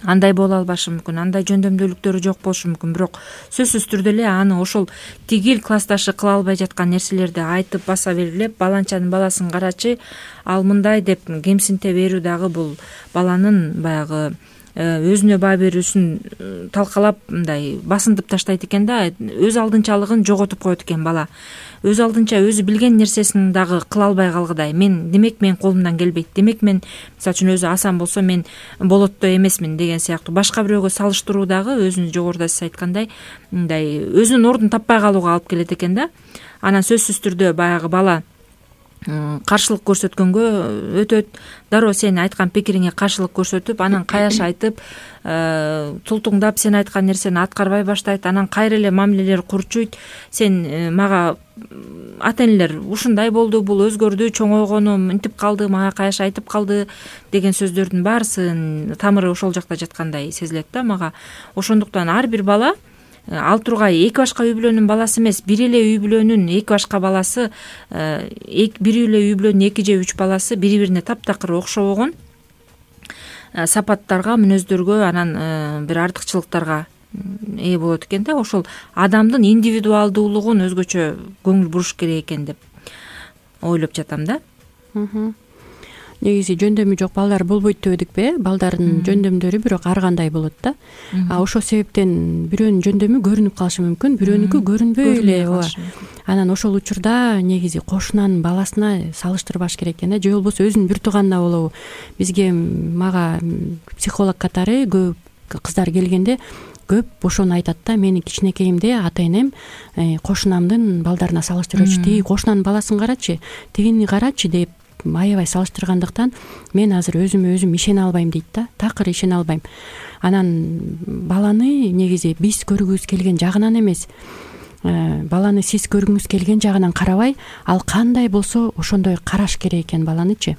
B: андай боло албашы мүмкүн, андай жөндөмдүүлүктөрү жок болушу мүмкүн, бирок сөзсүз түрдө эле аны ошол тигил классташы кыла албай жаткан нерселерди айтып баса белгилеп, баланчанын баласын карачы ал мындай деп кемсинте берүү дагы бул баланын баягы өзүнө баа берүүсүн талкалап мындай басынтып таштайт экен да, өз алдынчалыгын жоготуп коет экен бала. Өз алдынча өзү билген нерсесин дагы кыла албай калгыдай. Мен демек менин колумдан келбейт, демек мен мисалы үчүн өзү асан болсо мен болоттой эмесмин деген сыяктуу башка бирөөгө салыштыруу дагы өзүнүн жогоруда сиз айткандай мындай өзүнүн ордун таппай калууга алып келет экен да. Анан сөзсүз түрдө баягы бала каршылык көрсөткөнгө өтөт, дароо сен айткан пикириңе каршылык көрсөтүп, анан каяш айтып, тултуңдап сен айткан нерсени аткарбай баштайт, анан кайра эле мамилелер курчуйт. Сен мага ата энелер ушундай болду, бул өзгөрдү, чоңойгону мынтип калды, мага каяш айтып калды деген сөздөрдүн баарысынын тамыры ошол жакта жаткандай сезилет да мага. Ошондуктан ар бир бала ал тургай эки башка үй бүлөнүн баласы эмес, бир эле үй бүлөнүн эки башка баласы, бир эле үй бүлөнүн эки же үч баласы бири бирине таптакыр окшобогон сапаттарга, мүнөздөргө, анан бир артыкчылыктарга ээ болот экен да. Ошол адамдын индивидуалдуулугун өзгөчө көңүл буруш керек экен деп ойлоп жатам да.
E: Негизи жөндөмү жок балдар болбойт дебедикпи? Балдардын жөндөмдөрү бирок ар кандай болот да. А ошол себептен бирөөнүн жөндөмү көрүнүп калышы мүмкүн, бирөөнүкү көрүнбөй эле. Ооба. Анан ошол учурда негизи кошунанын баласына салыштырбаш керек экен да, же болбосо өзүнүн бир тууганына болобу. Бизге мага психолог катары көп кыздар келгенде көп ошону айтат да, мени кичинекейимде ата энем кошунамдын балдарына салыштырчу, тиги кошунанын баласын карачы, тигини карачы деп аябай салыштыргандыктан мен азыр өзүмө өзүм ишене албайм дейт да, такыр ишене албайм. Анан баланы негизи биз көргүбүз келген жагынан эмес, баланы сиз көргүңүз келген жагынан карабай, ал кандай болсо ошондой караш керек экен баланычы.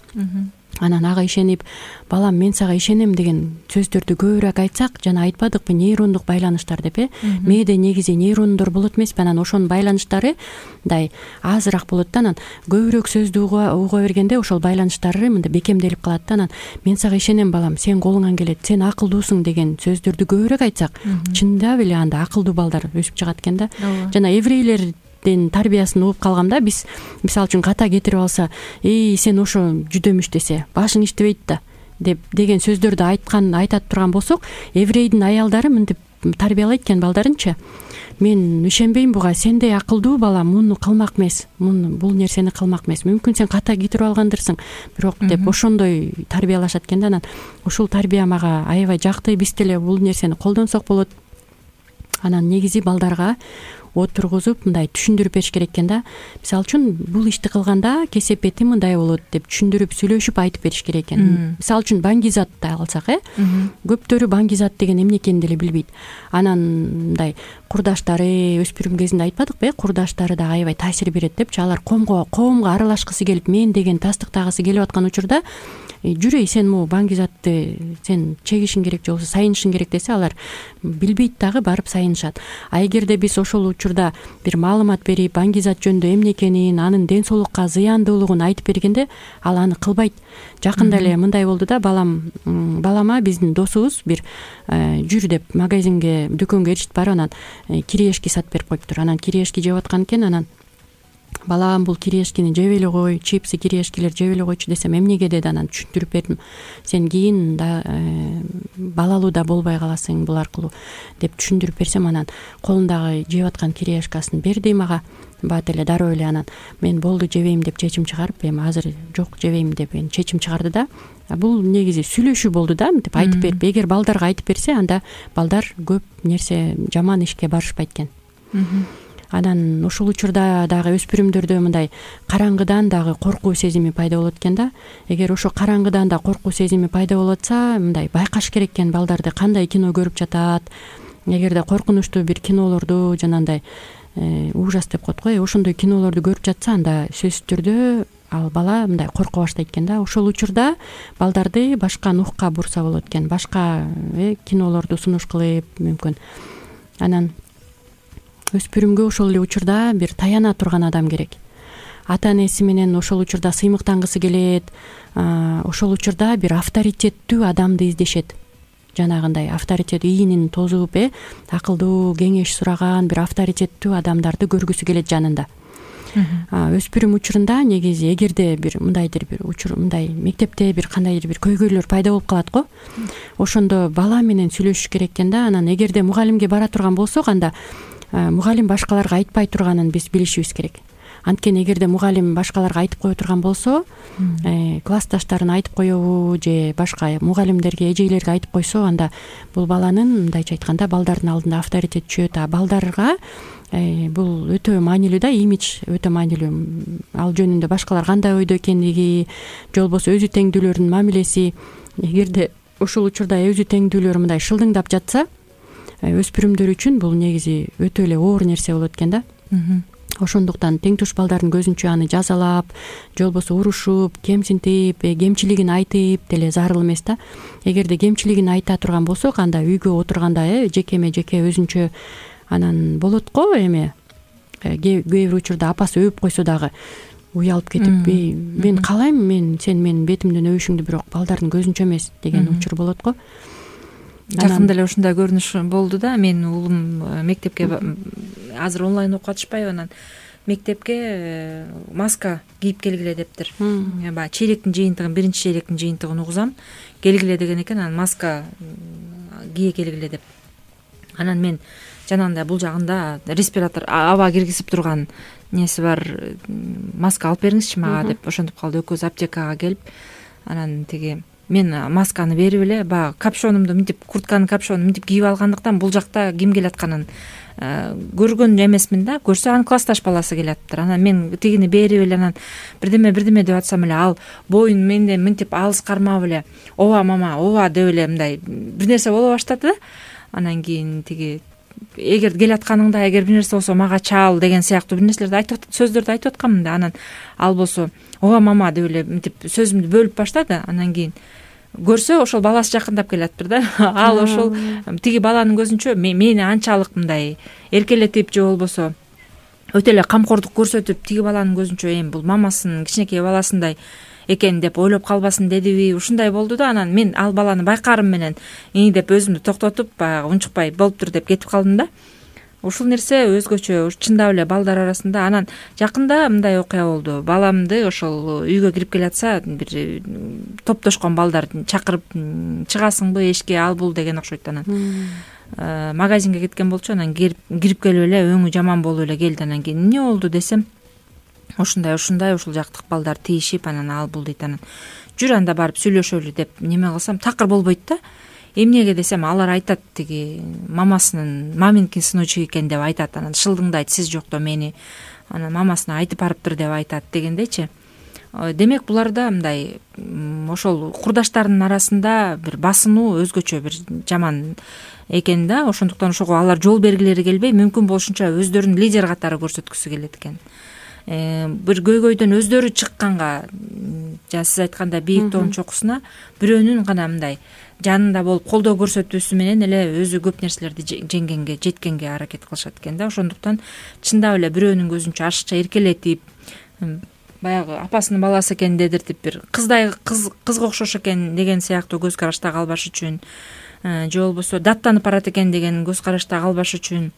E: Анан ага ишенип, балам мен сага ишенем деген сөздөрдү көбүрөөк айтсак, жана айтпадыкпы нейрондук байланыштар деп э? Мээде негизи нейрондор болот эмеспи, анан ошонун байланыштары мындай азыраак болот да, анан көбүрөөк сөздү уга бергенде ошол байланыштары мындай бекемделип калат да. Анан мен сага ишенем балам, сен колуңан келет, сен акылдуусуң деген сөздөрдү көбүрөөк айтсак, чындап эле анда акылдуу балдар өсүп чыгат экен да. Жана еврейлер тарбиясын угуп калгам да. Биз мисалы үчүн ката кетирип алса, эй сен ошо жүдөмүш десе, башың иштебейт да деп деген сөздөрдү айткан айтат турган болсок, еврейдин аялдары мынтип тарбиялайт экен балдарынчы. Мен ишенбейм буга, сендей акылдуу бала муну кылмак эмес, муну бул нерсени кылмак эмес. Мүмкүн сен ката кетирип алгандырсың, бирок деп ошондой тарбиялашат экен да. Анан ушул тарбия мага аябай жакты, биз деле бул нерсени колдонсок болот. Анан негизи балдарга отургузуп мындай түшүндүрүп бериш керек экен да. Мисалы үчүн бул ишти кылганда кесепети мындай болот деп түшүндүрүп сүйлөшүп айтып бериш керек экен. Мисалы үчүн баңгизатты алсак, э? Көптөрү баңгизат деген эмне экенин деле билбейт. Анан мындай курдаштары өспүрүм кезинде айтпадыкпы, курдаштары да аябай таасир берет депчи. Алар коомго коомго аралашкысы келип, мен деген тастыктагысы келип аткан учурда жүрөй сен могу баңгизатты сен чегишиң керек же болбосо сайынышың керек десе, алар билбейт дагы барып сайынышат. А эгерде биз ошол учурда бир маалымат берип, баңгизат жөнүндө эмне экенин, анын ден соолукка зыяндуулугун айтып бергенде, ал аны кылбайт. Жакында эле мындай болду да, балам балама биздин досубуз бир жүр деп магазинге, дүкөнгө ээрчитип барып, анан кириешки сатып берип коюптур. Анан кириешки жеп аткан экен, анан балам бул кириешкини жеп эле кой, чипсы кириешкилер жеп эле койчу десем, эмнеге деди. Анан түшүндүрүп бердим. Сен кийин да балалуу да болбой каласың бул аркылуу деп түшүндүрүп берсем, анан колундагы жеп аткан кириешкасын берди мага. Бат эле дароо эле анан мен болду жебейм деп чечим чыгарып, эми азыр жок жебейм деп чечим чыгарды да. Бул негизи сүйлөшүү болду да, мынтип айтып берип. Эгер балдарга айтып берсе, анда балдар көп нерсе жаман ишке барышпайт экен. Анан ушул учурда дагы өспүрүмдөрдө мындай караңгыдан дагы коркуу сезими пайда болот экен да. Эгер ошо караңгыдан да коркуу сезими пайда болуп атса, мындай байкаш керек экен балдарды кандай кино көрүп жатат. Эгерде коркунучтуу бир кинолорду жанагындай ужас деп коет го, ошондой кинолорду көрүп жатса, анда сөзсүз түрдө ал бала мындай корко баштайт экен да. Ошол учурда балдарды башка нухка бурса болот экен, башка кинолорду сунуш кылып мүмкүн. Анан өспүрүмгө ошол эле учурда бир таяна турган адам керек. Ата энеси менен ошол учурда сыймыктангысы келет, ошол учурда бир авторитеттүү адамды издешет. Жанагындай авторитет ийинин тозуп, э акылдуу кеңеш сураган бир авторитеттүү адамдарды көргүсү келет жанында. Өспүрүм учурунда негизи эгерде бир мындайдыр бир учур мындай мектепте бир кандайдыр бир көйгөйлөр пайда болуп калат го. Ошондо бала менен сүйлөшүш керек экен да. Анан эгерде мугалимге бара турган болсок, анда мугалим башкаларга айтпай турганын биз билишибиз керек. Анткени эгерде мугалим башкаларга айтып кое турган болсо, классташтарына айтып коебу же башка мугалимдерге, эжейлерге айтып койсо, анда бул баланын мындайча айтканда балдардын алдында авторитет түшөт. А балдарга бул өтө маанилүү да, имидж өтө маанилүү. Ал жөнүндө башкалар кандай ойдо экендиги, же болбосо өзү теңдүүлөрдүн мамилеси. Эгерде ошол учурда өзү теңдүүлөр мындай шылдыңдап жатса, өспүрүмдөр үчүн бул негизи өтө эле оор нерсе болот экен да. Ошондуктан тең туш балдардын көзүнчө аны жазалап, же болбосо урушуп, кемсинтип, кемчилигин айтып деле зарыл эмес да. Эгерде кемчилигин айта турган болсок, анда үйгө отурганда э жекеме жеке өзүнчө анан болот го эме. Кээ бир учурда апасы өөп койсо дагы уялып кетип, мен каалайм, мен сен менин бетимден өбүшүңдү, бирок балдардын көзүнчө эмес деген учур болот го.
B: Жакында эле ушундай көрүнүш болду да. Менин уулум мектепке азыр онлайн окуп атышпайбы, анан мектепке маска кийип келгиле дептир. Баягы чейректин жыйынтыгын, биринчи чейректин жыйынтыгын угузам, келгиле деген экен. Анан маска кие келгиле деп. Анан мен жанагындай бул жагында респиратор, аба киргизип турган неси бар, маска алып бериңизчи мага деп ошентип калды. Экөөбүз аптекага келип, анан тиги мен масканы берип эле баягы капшонумду мынтип, куртканын капшонун мынтип кийип алгандыктан бул жакта ким келатканын көргөн эмесмин да. Көрсө анын классташ баласы келаптыр. Анан мен тигини берип эле, анан бирдеме бирдеме деп атсам эле, ал боюн менден мынтип алыс кармап эле, ооба мама, ооба деп эле мындай бир нерсе боло баштады да. Анан кийин тиги эгер келатканыңда, эгер бир нерсе болсо мага чал деген сыяктуу бир нерселерди айтып сөздөрдү айтып атканмын да. Анан ал болсо ооба мама деп эле мынтип сөзүмдү бөлүп баштады. Анан кийин көрсө ошол баласы жакындап келаптыр да. Ал ошол тиги баланын көзүнчө мени анчалык мындай эркелетип же болбосо өтө эле камкордук көрсөтүп, тиги баланын көзүнчө эми бул мамасынын кичинекей баласындай экен деп ойлоп калбасын дедиби, ушундай болду да. Анан мен ал баланы байкаарым менен ии деп өзүмдү токтотуп, баягы унчукпай болуптур деп кетип калдым да. Ушул нерсе өзгөчө чындап эле балдар арасында. Анан жакында мындай окуя болду. Баламды ошол үйгө кирип келатса, бир топтошкон балдар чакырып, чыгасыңбы эшикке, ал бул деген окшойт. Анан магазинге кеткен болчу. Анан кирип келип эле өңү жаман болуп эле келди. Анан кийин эмне болду десем, ушундай ушундай ушул жактык балдар тийишип, анан ал бул дейт. Анан жүр анда барып сүйлөшөлү деп неме кылсам, такыр болбойт да. Эмнеге десем, алар айтат, тиги мамасынын маминкин сыночу экен деп айтат. Анан шылдыңдайт, сиз жокто мени анан мамасына айтып барыптыр деп айтат дегендейчи. Демек буларда мындай ошол курдаштарынын арасында бир басынуу өзгөчө бир жаман экен да. Ошондуктан ошого алар жол бергилери келбей, мүмкүн болушунча өздөрүн лидер катары көрсөткүсү келет экен. Бир көйгөйдөн өздөрү чыкканга, жана сиз айткандай бийик тоонун чокусуна бирөөнүн гана мындай жанында болуп колдоо көрсөтүүсү менен эле өзү көп нерселерди жеңгенге, жеткенге аракет кылышат экен да. Ошондуктан чындап эле бирөөнүн көзүнчө ашыкча эркелетип, баягы апасынын баласы экен дедиртип, бир кыздай кыз кызга окшош экен деген сыяктуу көз карашта калбаш үчүн, же болбосо даттанып барат экен деген көз карашта калбаш үчүн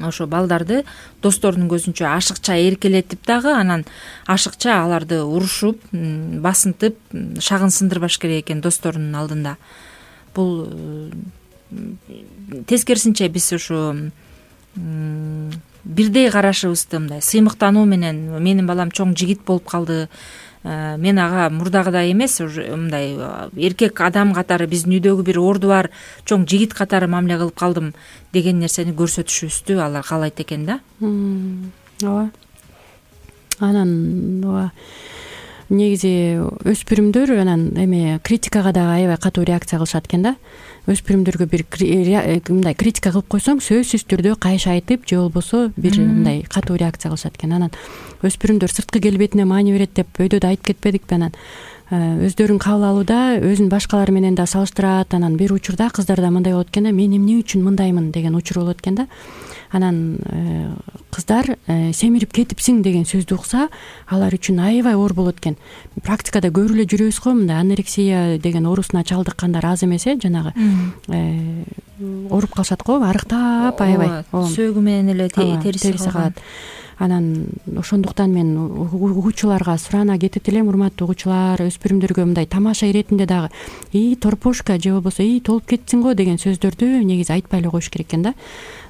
B: ошо балдарды досторунун көзүнчө ашыкча эркелетип дагы, анан ашыкча аларды урушуп, басынтып, шагын сындырбаш керек экен досторунун алдында. Бул тескерисинче биз ушу бирдей карашыбызды мындай сыймыктануу менен, менин балам чоң жигит болуп калды, мен ага мурдагыдай эмес, мындай эркек адам катары, биздин үйдөгү бир орду бар чоң жигит катары мамиле кылып калдым деген нерсени көрсөтүшүбүздү алар каалайт экен да.
E: Ооба. Анан ооба негизи өспүрүмдөр анан эме критикага дагы аябай катуу реакция кылышат экен да. Өспүрүмдөргө бир мындай критика кылып койсоң сөзсүз түрдө кайшы айтып же болбосо бир мындай катуу реакция кылышат экен. Анан өспүрүмдөр сырткы келбетине маани берет деп өйдө да айтып кетпедикпи? Анан өздөрүн кабыл алууда өзүн башкалар менен да салыштырат. Анан бир учурда кыздарда мындай болот экен да, мен эмне үчүн мындаймын деген учур болот экен да. Анан кыздар семирип кетипсиң деген сөздү укса алар үчүн аябай оор болот экен. Практикада көрүп эле жүрөбүз го, мындай анорексия деген оорусуна чалдыккандар аз эмес э, жанагы ооруп калышат го, арыктап аябай
B: сөөгү менен эле териси калат.
E: Анан ошондуктан мен угуучуларга сурана кетет элем, урматтуу угуучулар, өспүрүмдөргө мындай тамаша иретинде дагы и торпошка же болбосо и толуп кетсиң го деген сөздөрдү негизи айтпай эле коюш керек экен да.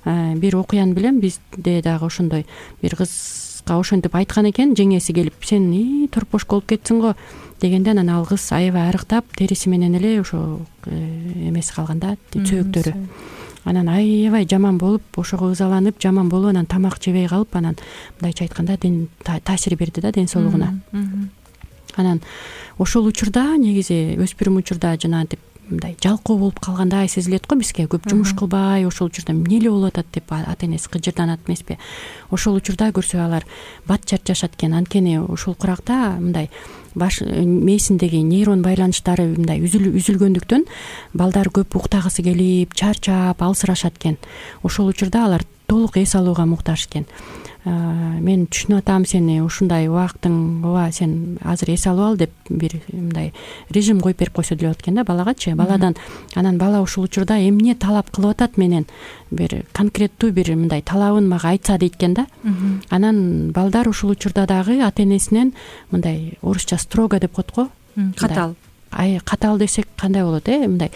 E: Бир окуяны билем, бизде дагы ошондой бир кызга ошентип айткан экен, жеңеси келип сен и торпошка болуп кетсиң го дегенде, анан ал кыз аябай арыктап териси менен эле ошо эмеси калган да, сөөктөрү. Анан аябай жаман болуп, ошого ызаланып, жаман болуп, анан тамак жебей калып, анан мындайча айтканда таасир берди да ден соолугуна. Анан ошол учурда негизи өспүрүм учурда жанагынтип мындай жалкоо болуп калгандай сезилет го бизге. Көп жумуш кылбай, ошол учурда эмне эле болуп атат деп ата энеси кыжырданат эмеспи? Ошол учурда көрсө алар бат чарчашат экен. Анткени ошол куракта мындай баш мээсиндеги нейрон байланыштары мындай үзүлгөндүктөн балдар көп уктагысы келип, чарчап, алсырашат экен. Ошол учурда алар толук эс алууга муктаж экен. Мен түшүнүп атам сени, ушундай убактың ооба сен азыр эс алып ал деп бир мындай режим коюп берип койсо деле болот экен да балагачы. Баладан анан бала ушул учурда эмне талап кылып атат менен бир конкреттүү бир мындай талабын мага айтса дейт экен да. Анан балдар ушул учурда дагы ата энесинен мындай орусча строго деп коет го.
B: Катал.
E: Ай катал десек кандай болот э? Мындай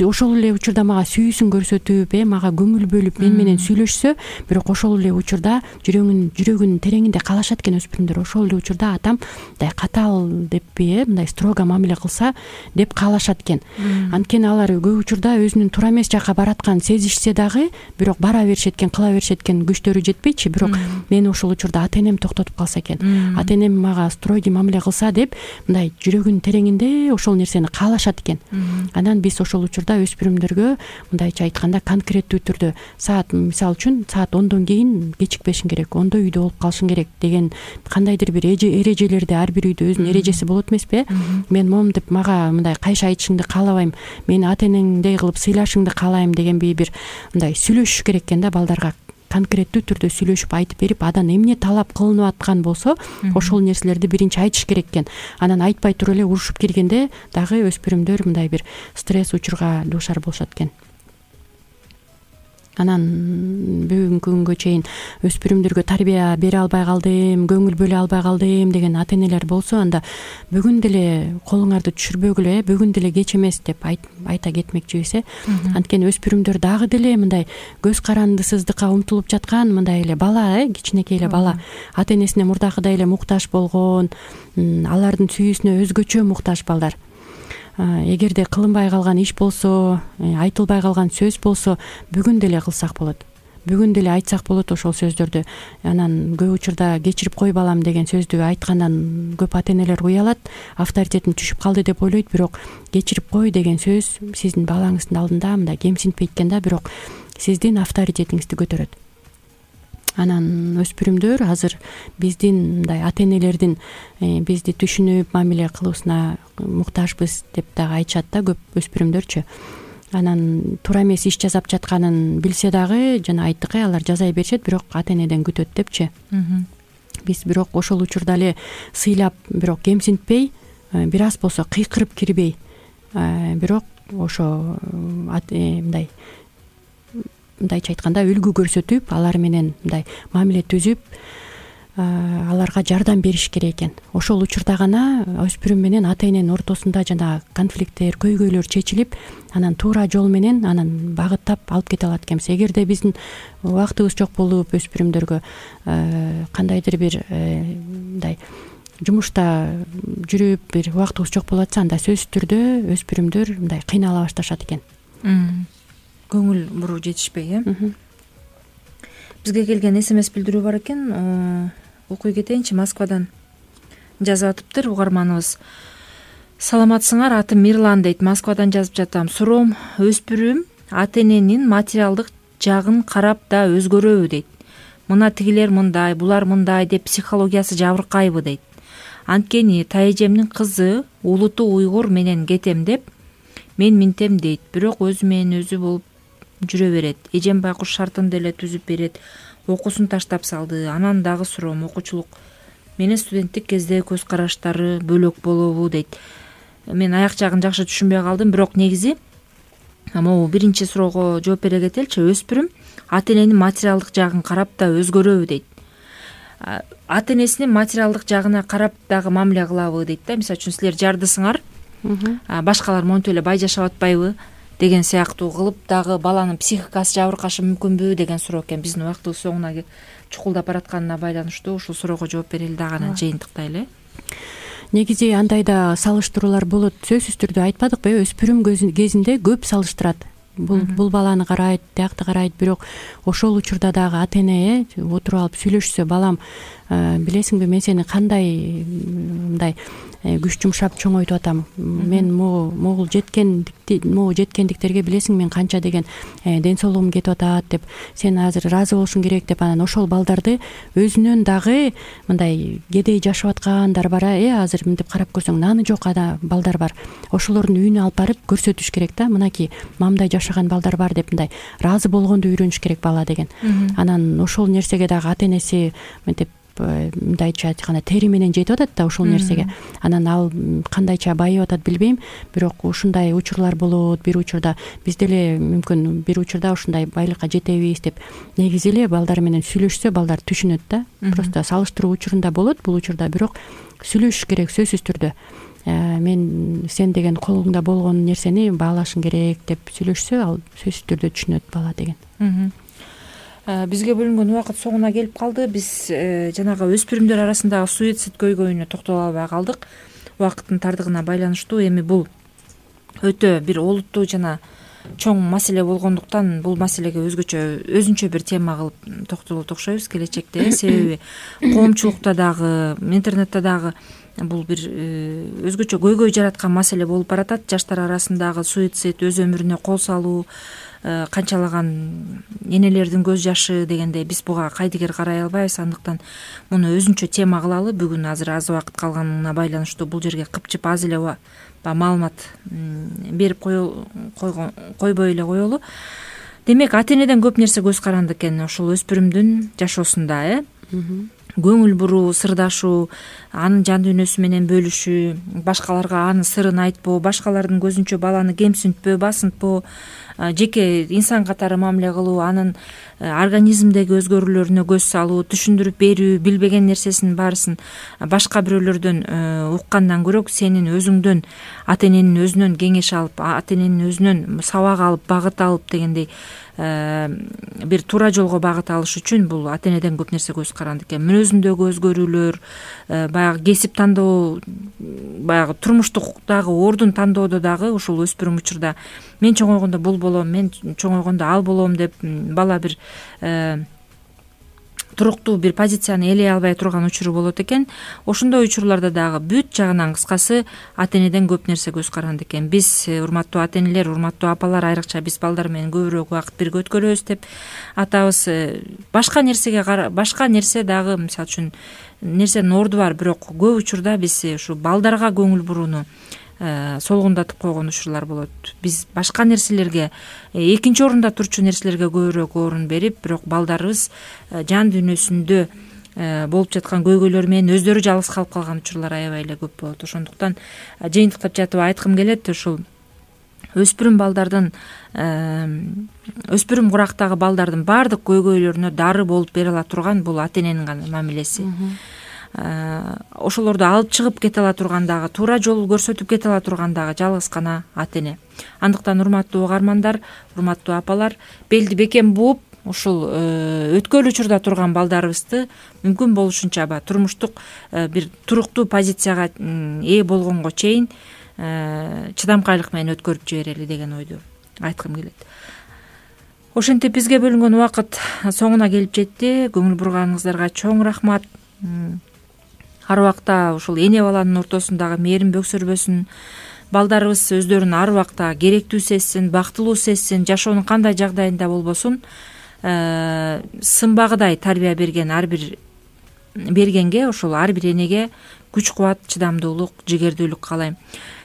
E: ошол эле учурда мага сүйүүсүн көрсөтүп, э мага көңүл бөлүп, мен менен сүйлөшсө, бирок ошол эле учурда жүрөгүнүн жүрөгүнүн тереңинде каалашат экен өспүрүмдөр. Ошол эле учурда атам мындай катал деппи, э мындай строго мамиле кылса деп каалашат экен. Анткени алар көп учурда өзүнүн туура эмес жакка баратканын сезишсе дагы, бирок бара беришет экен, кыла беришет экен, күчтөрү жетпейчи. Бирок мени ошол учурда ата энем токтотуп калса экен. Ата энем мага строгий мамиле кылса деп мындай жүрөгүнүн тереңинде ошол нерсени каалашат экен. Анан биз ошол учурда өспүрүмдөргө мындайча айтканда конкреттүү түрдө саат, мисалы үчүн саат ондон кийин кечикпешиң керек, ондо үйдө болуп калышың керек деген кандайдыр бир эрежелерди, ар бир үйдө өзүнүн эрежеси болот эмеспи? Мен момнтип мага мындай кайшы айтышыңды каалабайм, мени ата энеңдей кылып сыйлашыңды каалайм дегенби бир мындай сүйлөшүш керек экен да балдарга. Конкреттүү түрдө сүйлөшүп айтып берип, адан эмне талап кылынып аткан болсо, ошол нерселерди биринчи айтыш керек экен. Анан айтпай туруп эле урушуп киргенде дагы өспүрүмдөр мындай бир стресс учурга дуушар болушат экен. Анан бүгүнкү күнгө чейин өспүрүмдөргө тарбия бере албай калдым, көңүл бөлө албай калдым деген ата энелер болсо, анда бүгүн деле колуңарды түшүрбөгүлө, бүгүн деле кеч эмес деп айта кетмекчибиз э. Анткени өспүрүмдөр дагы деле мындай көз карандысыздыкка умтулуп жаткан мындай эле бала, э, кичинекей эле бала. Ата энесине мурдакыдай эле муктаж болгон, алардын сүйүүсүнө өзгөчө муктаж балдар. Эгерде кылынбай калган иш болсо, айтылбай калган сөз болсо, бүгүн деле кылсак болот. Бүгүн деле айтсак болот ошол сөздөрдү. Анан көп учурда кечирип кой балам деген сөздү айткандан көп ата энелер уялат, авторитетим түшүп калды деп ойлойт, бирок кечирип кой деген сөз сиздин балаңыздын алдында мындай кемсинтпейт экен да, бирок сиздин авторитетиңизди көтөрөт. Анан өспүрүмдөр азыр биздин мындай ата энелердин бизди түшүнүп мамиле кылуусуна муктажбыз деп дагы айтышат да көп өспүрүмдөрчү. Анан туура эмес иш жасап жатканын билсе дагы, жана айттык э, алар жазай беришет, бирок ата энеден күтөт депчи. Биз бирок ошол учурда эле сыйлап, бирок кемсинтпей, бир аз болсо кыйкырып кирбей, бирок ошо мындай мындайча айтканда үлгү көрсөтүп, алар менен мындай мамиле түзүп, аларга жардам бериш керек экен. Ошол учурда гана өспүрүм менен ата эненин ортосунда жана конфликттер, көйгөйлөр чечилип, анан туура жол менен анан багыттап алып кете алат экенбиз. Эгерде биздин убактыбыз жок болуп өспүрүмдөргө кандайдыр бир мындай жумушта жүрүп, бир убактыбыз жок болуп атса, анда сөзсүз түрдө өспүрүмдөр мындай кыйнала башташат экен.
B: Көңүл буруу жетишпей, э? Бизге келген эс эм эс билдирүү бар экен. Окуй кетейинчи. Москвадан жазып атыптыр угарманыбыз. Саламатсыңар, атым Мирлан дейт. Москвадан жазып жатам. Суроом, өспүрүм ата эненин материалдык жагын карап да өзгөрөбү дейт. Мына тигилер мындай, булар мындай деп психологиясы жабыркайбы дейт. Анткени тайэжемдин кызы улуту уйгур менен кетем деп мен минтем дейт, бирок өзү менен өзү болуп жүрө берет. Эжем байкуш шартын деле түзүп берет. Окуусун таштап салды. Анан дагы суроом, окуучулук менен студенттик кезде көз караштары бөлөк болобу дейт. Мен аяк жагын жакшы түшүнбөй калдым, бирок негизи могу биринчи суроого жооп бере кетеличи. Өспүрүм ата эненин материалдык жагын карап да өзгөрөбү дейт. Ата энесинин материалдык жагына карап дагы мамиле кылабы дейт да. Мисалы үчүн силер жардысыңар, башкалар монтип эле бай жашап атпайбы деген сыяктуу кылып дагы баланын психикасы жабыркашы мүмкүнбү деген суроо экен. Биздин убактыбыз соңуна чукулдап баратканына байланыштуу ушул суроого жооп берели дагы анан жыйынтыктайлы.
E: Негизи андай да салыштыруулар болот. Сөзсүз түрдө айтпадыкпы, өспүрүм кезинде көп салыштырат. Бул бул баланы карайт, тиякты карайт, бирок ошол учурда дагы ата эне отуруп алып сүйлөшсө, балам, билесиңби, мен сени кандай мындай күч жумшап чоңойтуп атам. Мен могу могул жеткендикти могу жеткендиктерге билесиң мен канча деген ден соолугум кетип атат деп, сен азыр ыраазы болушуң керек деп, анан ошол балдарды өзүнөн дагы мындай кедей жашап аткандар бар, э азыр мынтип карап көрсөң наны жок ада балдар бар. Ошолордун үйүнө алып барып көрсөтүш керек да, мынакей мамдай жашаган балдар бар деп, мындай ыраазы болгонду үйрөнүш керек бала деген. Анан ошол нерсеге дагы ата энеси мынтип мындайча айтканда тери менен жетип атат да ошол нерсеге. Анан ал кандайча байып атат билбейм, бирок ушундай учурлар болот. Бир учурда биз деле мүмкүн бир учурда ушундай байлыкка жетебиз деп, негизи эле балдар менен сүйлөшсө балдар түшүнөт да. Просто салыштыруу учурунда болот бул учурда, бирок сүйлөшүш керек сөзсүз түрдө. Мен сен деген колуңда болгон нерсени баалашың керек деп сүйлөшсө, ал сөзсүз түрдө түшүнөт бала деген.
B: Бизге бөлүнгөн убакыт соңуна келип калды. Биз жанагы өспүрүмдөр арасындагы суицид көйгөйүнө токтоло албай калдык убакыттын тардыгына байланыштуу. Эми бул өтө бир олуттуу жана чоң маселе болгондуктан бул маселеге өзгөчө өзүнчө бир тема кылып токтолот окшойбуз келечекте. Себеби коомчулукта дагы, интернетте дагы бул бир өзгөчө көйгөй жараткан маселе болуп баратат. Жаштар арасындагы суицид, өз өмүрүнө кол салуу, канчалаган энелердин көз жашы дегендей, биз буга кайдыгер карай албайбыз. Андыктан муну өзүнчө тема кылалы. Бүгүн азыр аз убакыт калганына байланыштуу бул жерге кыпчып аз эле маалымат берип койбой эле коелу. Демек, ата энеден көп нерсе көз каранды экен ушул өспүрүмдүн жашоосунда, э көңүл буруу, сырдашуу, анын жан дүйнөсү менен бөлүшүү, башкаларга анын сырын айтпоо, башкалардын көзүнчө баланы кемсинтпөө, басынтпоо, жеке инсан катары мамиле кылуу, анын организмдеги өзгөрүүлөрүнө көз салуу, түшүндүрүп берүү, билбеген нерсесин баарысын башка бирөөлөрдөн уккандан көрө сенин өзүңдөн, ата эненин өзүнөн кеңеш алып, ата эненин өзүнөн сабак алып, багыт алып дегендей бир туура жолго багыт алыш үчүн бул ата энеден көп нерсе көз каранды экен. Мүнөзүндөгү өзгөрүүлөр, баягы кесип тандоо, баягы турмуштуктагы ордун тандоодо дагы ушул өспүрүм учурда мен чоңойгондо бул болом, мен чоңойгондо ал болом деп бала бир туруктуу бир позицияны ээлей албай турган учуру болот экен. Ошондой учурларда дагы бүт жагынан кыскасы ата энеден көп нерсе көз каранды экен. Биз, урматтуу ата энелер, урматтуу апалар, айрыкча биз балдар менен көбүрөөк убакыт бирге өткөрөбүз деп атабыз. Башка нерсеге башка нерсе дагы, мисалы үчүн нерсенин орду бар, бирок көп учурда биз ушу балдарга көңүл бурууну солгундатып койгон учурлар болот. Биз башка нерселерге, экинчи орунда турчу нерселерге көбүрөөк орун берип, бирок балдарыбыз жан дүйнөсүндө болуп жаткан көйгөйлөр менен өздөрү жалгыз калып калган учурлар аябай эле көп болот. Ошондуктан жыйынтыктап жатып айткым келет, ушул өспүрүм балдардын, өспүрүм курактагы балдардын баардык көйгөйлөрүнө дары болуп бере ала турган бул ата эненин гана мамилеси. Ошолорду алып чыгып кете ала турган дагы, туура жол көрсөтүп кете ала турган дагы жалгыз гана ата эне. Андыктан урматтуу угармандар, урматтуу апалар, белди бекем бууп, ушул өткөл учурда турган балдарыбызды мүмкүн болушунча ба турмуштук бир туруктуу позицияга ээ болгонго чейин чыдамкайлык менен өткөрүп жиберели деген ойду айткым келет. Ошентип бизге бөлүнгөн убакыт соңуна келип жетти. Көңүл бурганыңыздарга чоң рахмат. ар убакта ушул эне баланын ортосундагы мээрим бөксөрбөсүн, балдарыбыз өздөрүн ар убакта керектүү сезсин, бактылуу сезсин, жашоонун кандай жагдайында болбосун сымбагыдай тарбия берген ар бир бергенге, ошол ар бир энеге күч кубат, чыдамдуулук, жигердүүлүк каалайм.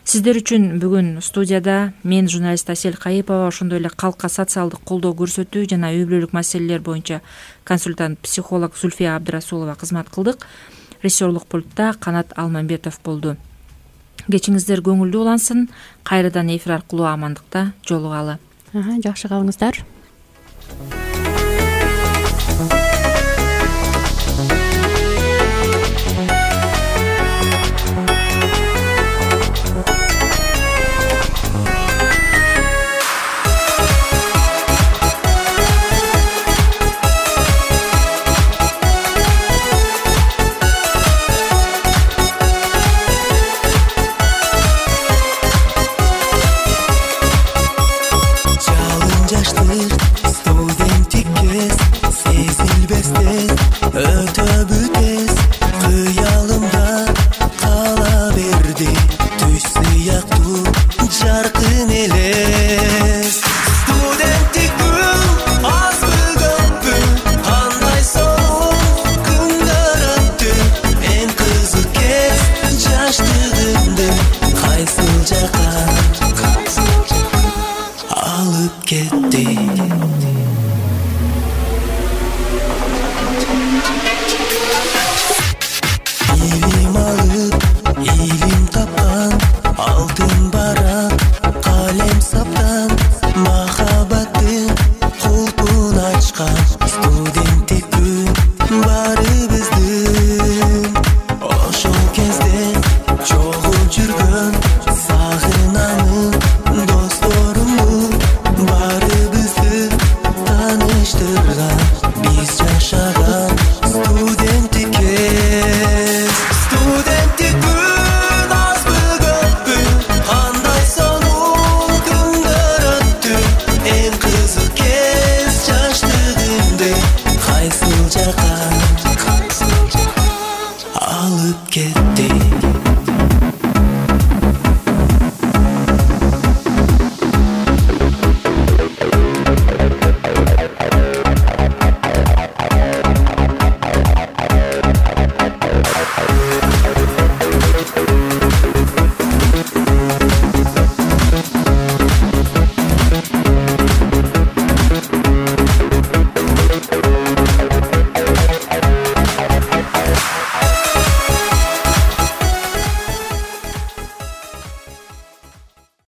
B: Сиздер үчүн бүгүн студияда мен журналист Асель Кайыпова, ошондой эле калкка социалдык колдоо көрсөтүү жана үй бүлөлүк маселелер боюнча консультант психолог Зульфия Абдрасулова кызмат кылдык. Режиссерлук пультта Канат Алмамбетов болду. Кечиңиздер көңүлдүү улансын. Кайрадан эфир аркылуу амандыкта жолугалы.
E: Жакшы калыңыздар.
F: Студенттик кез сезилбестен өтө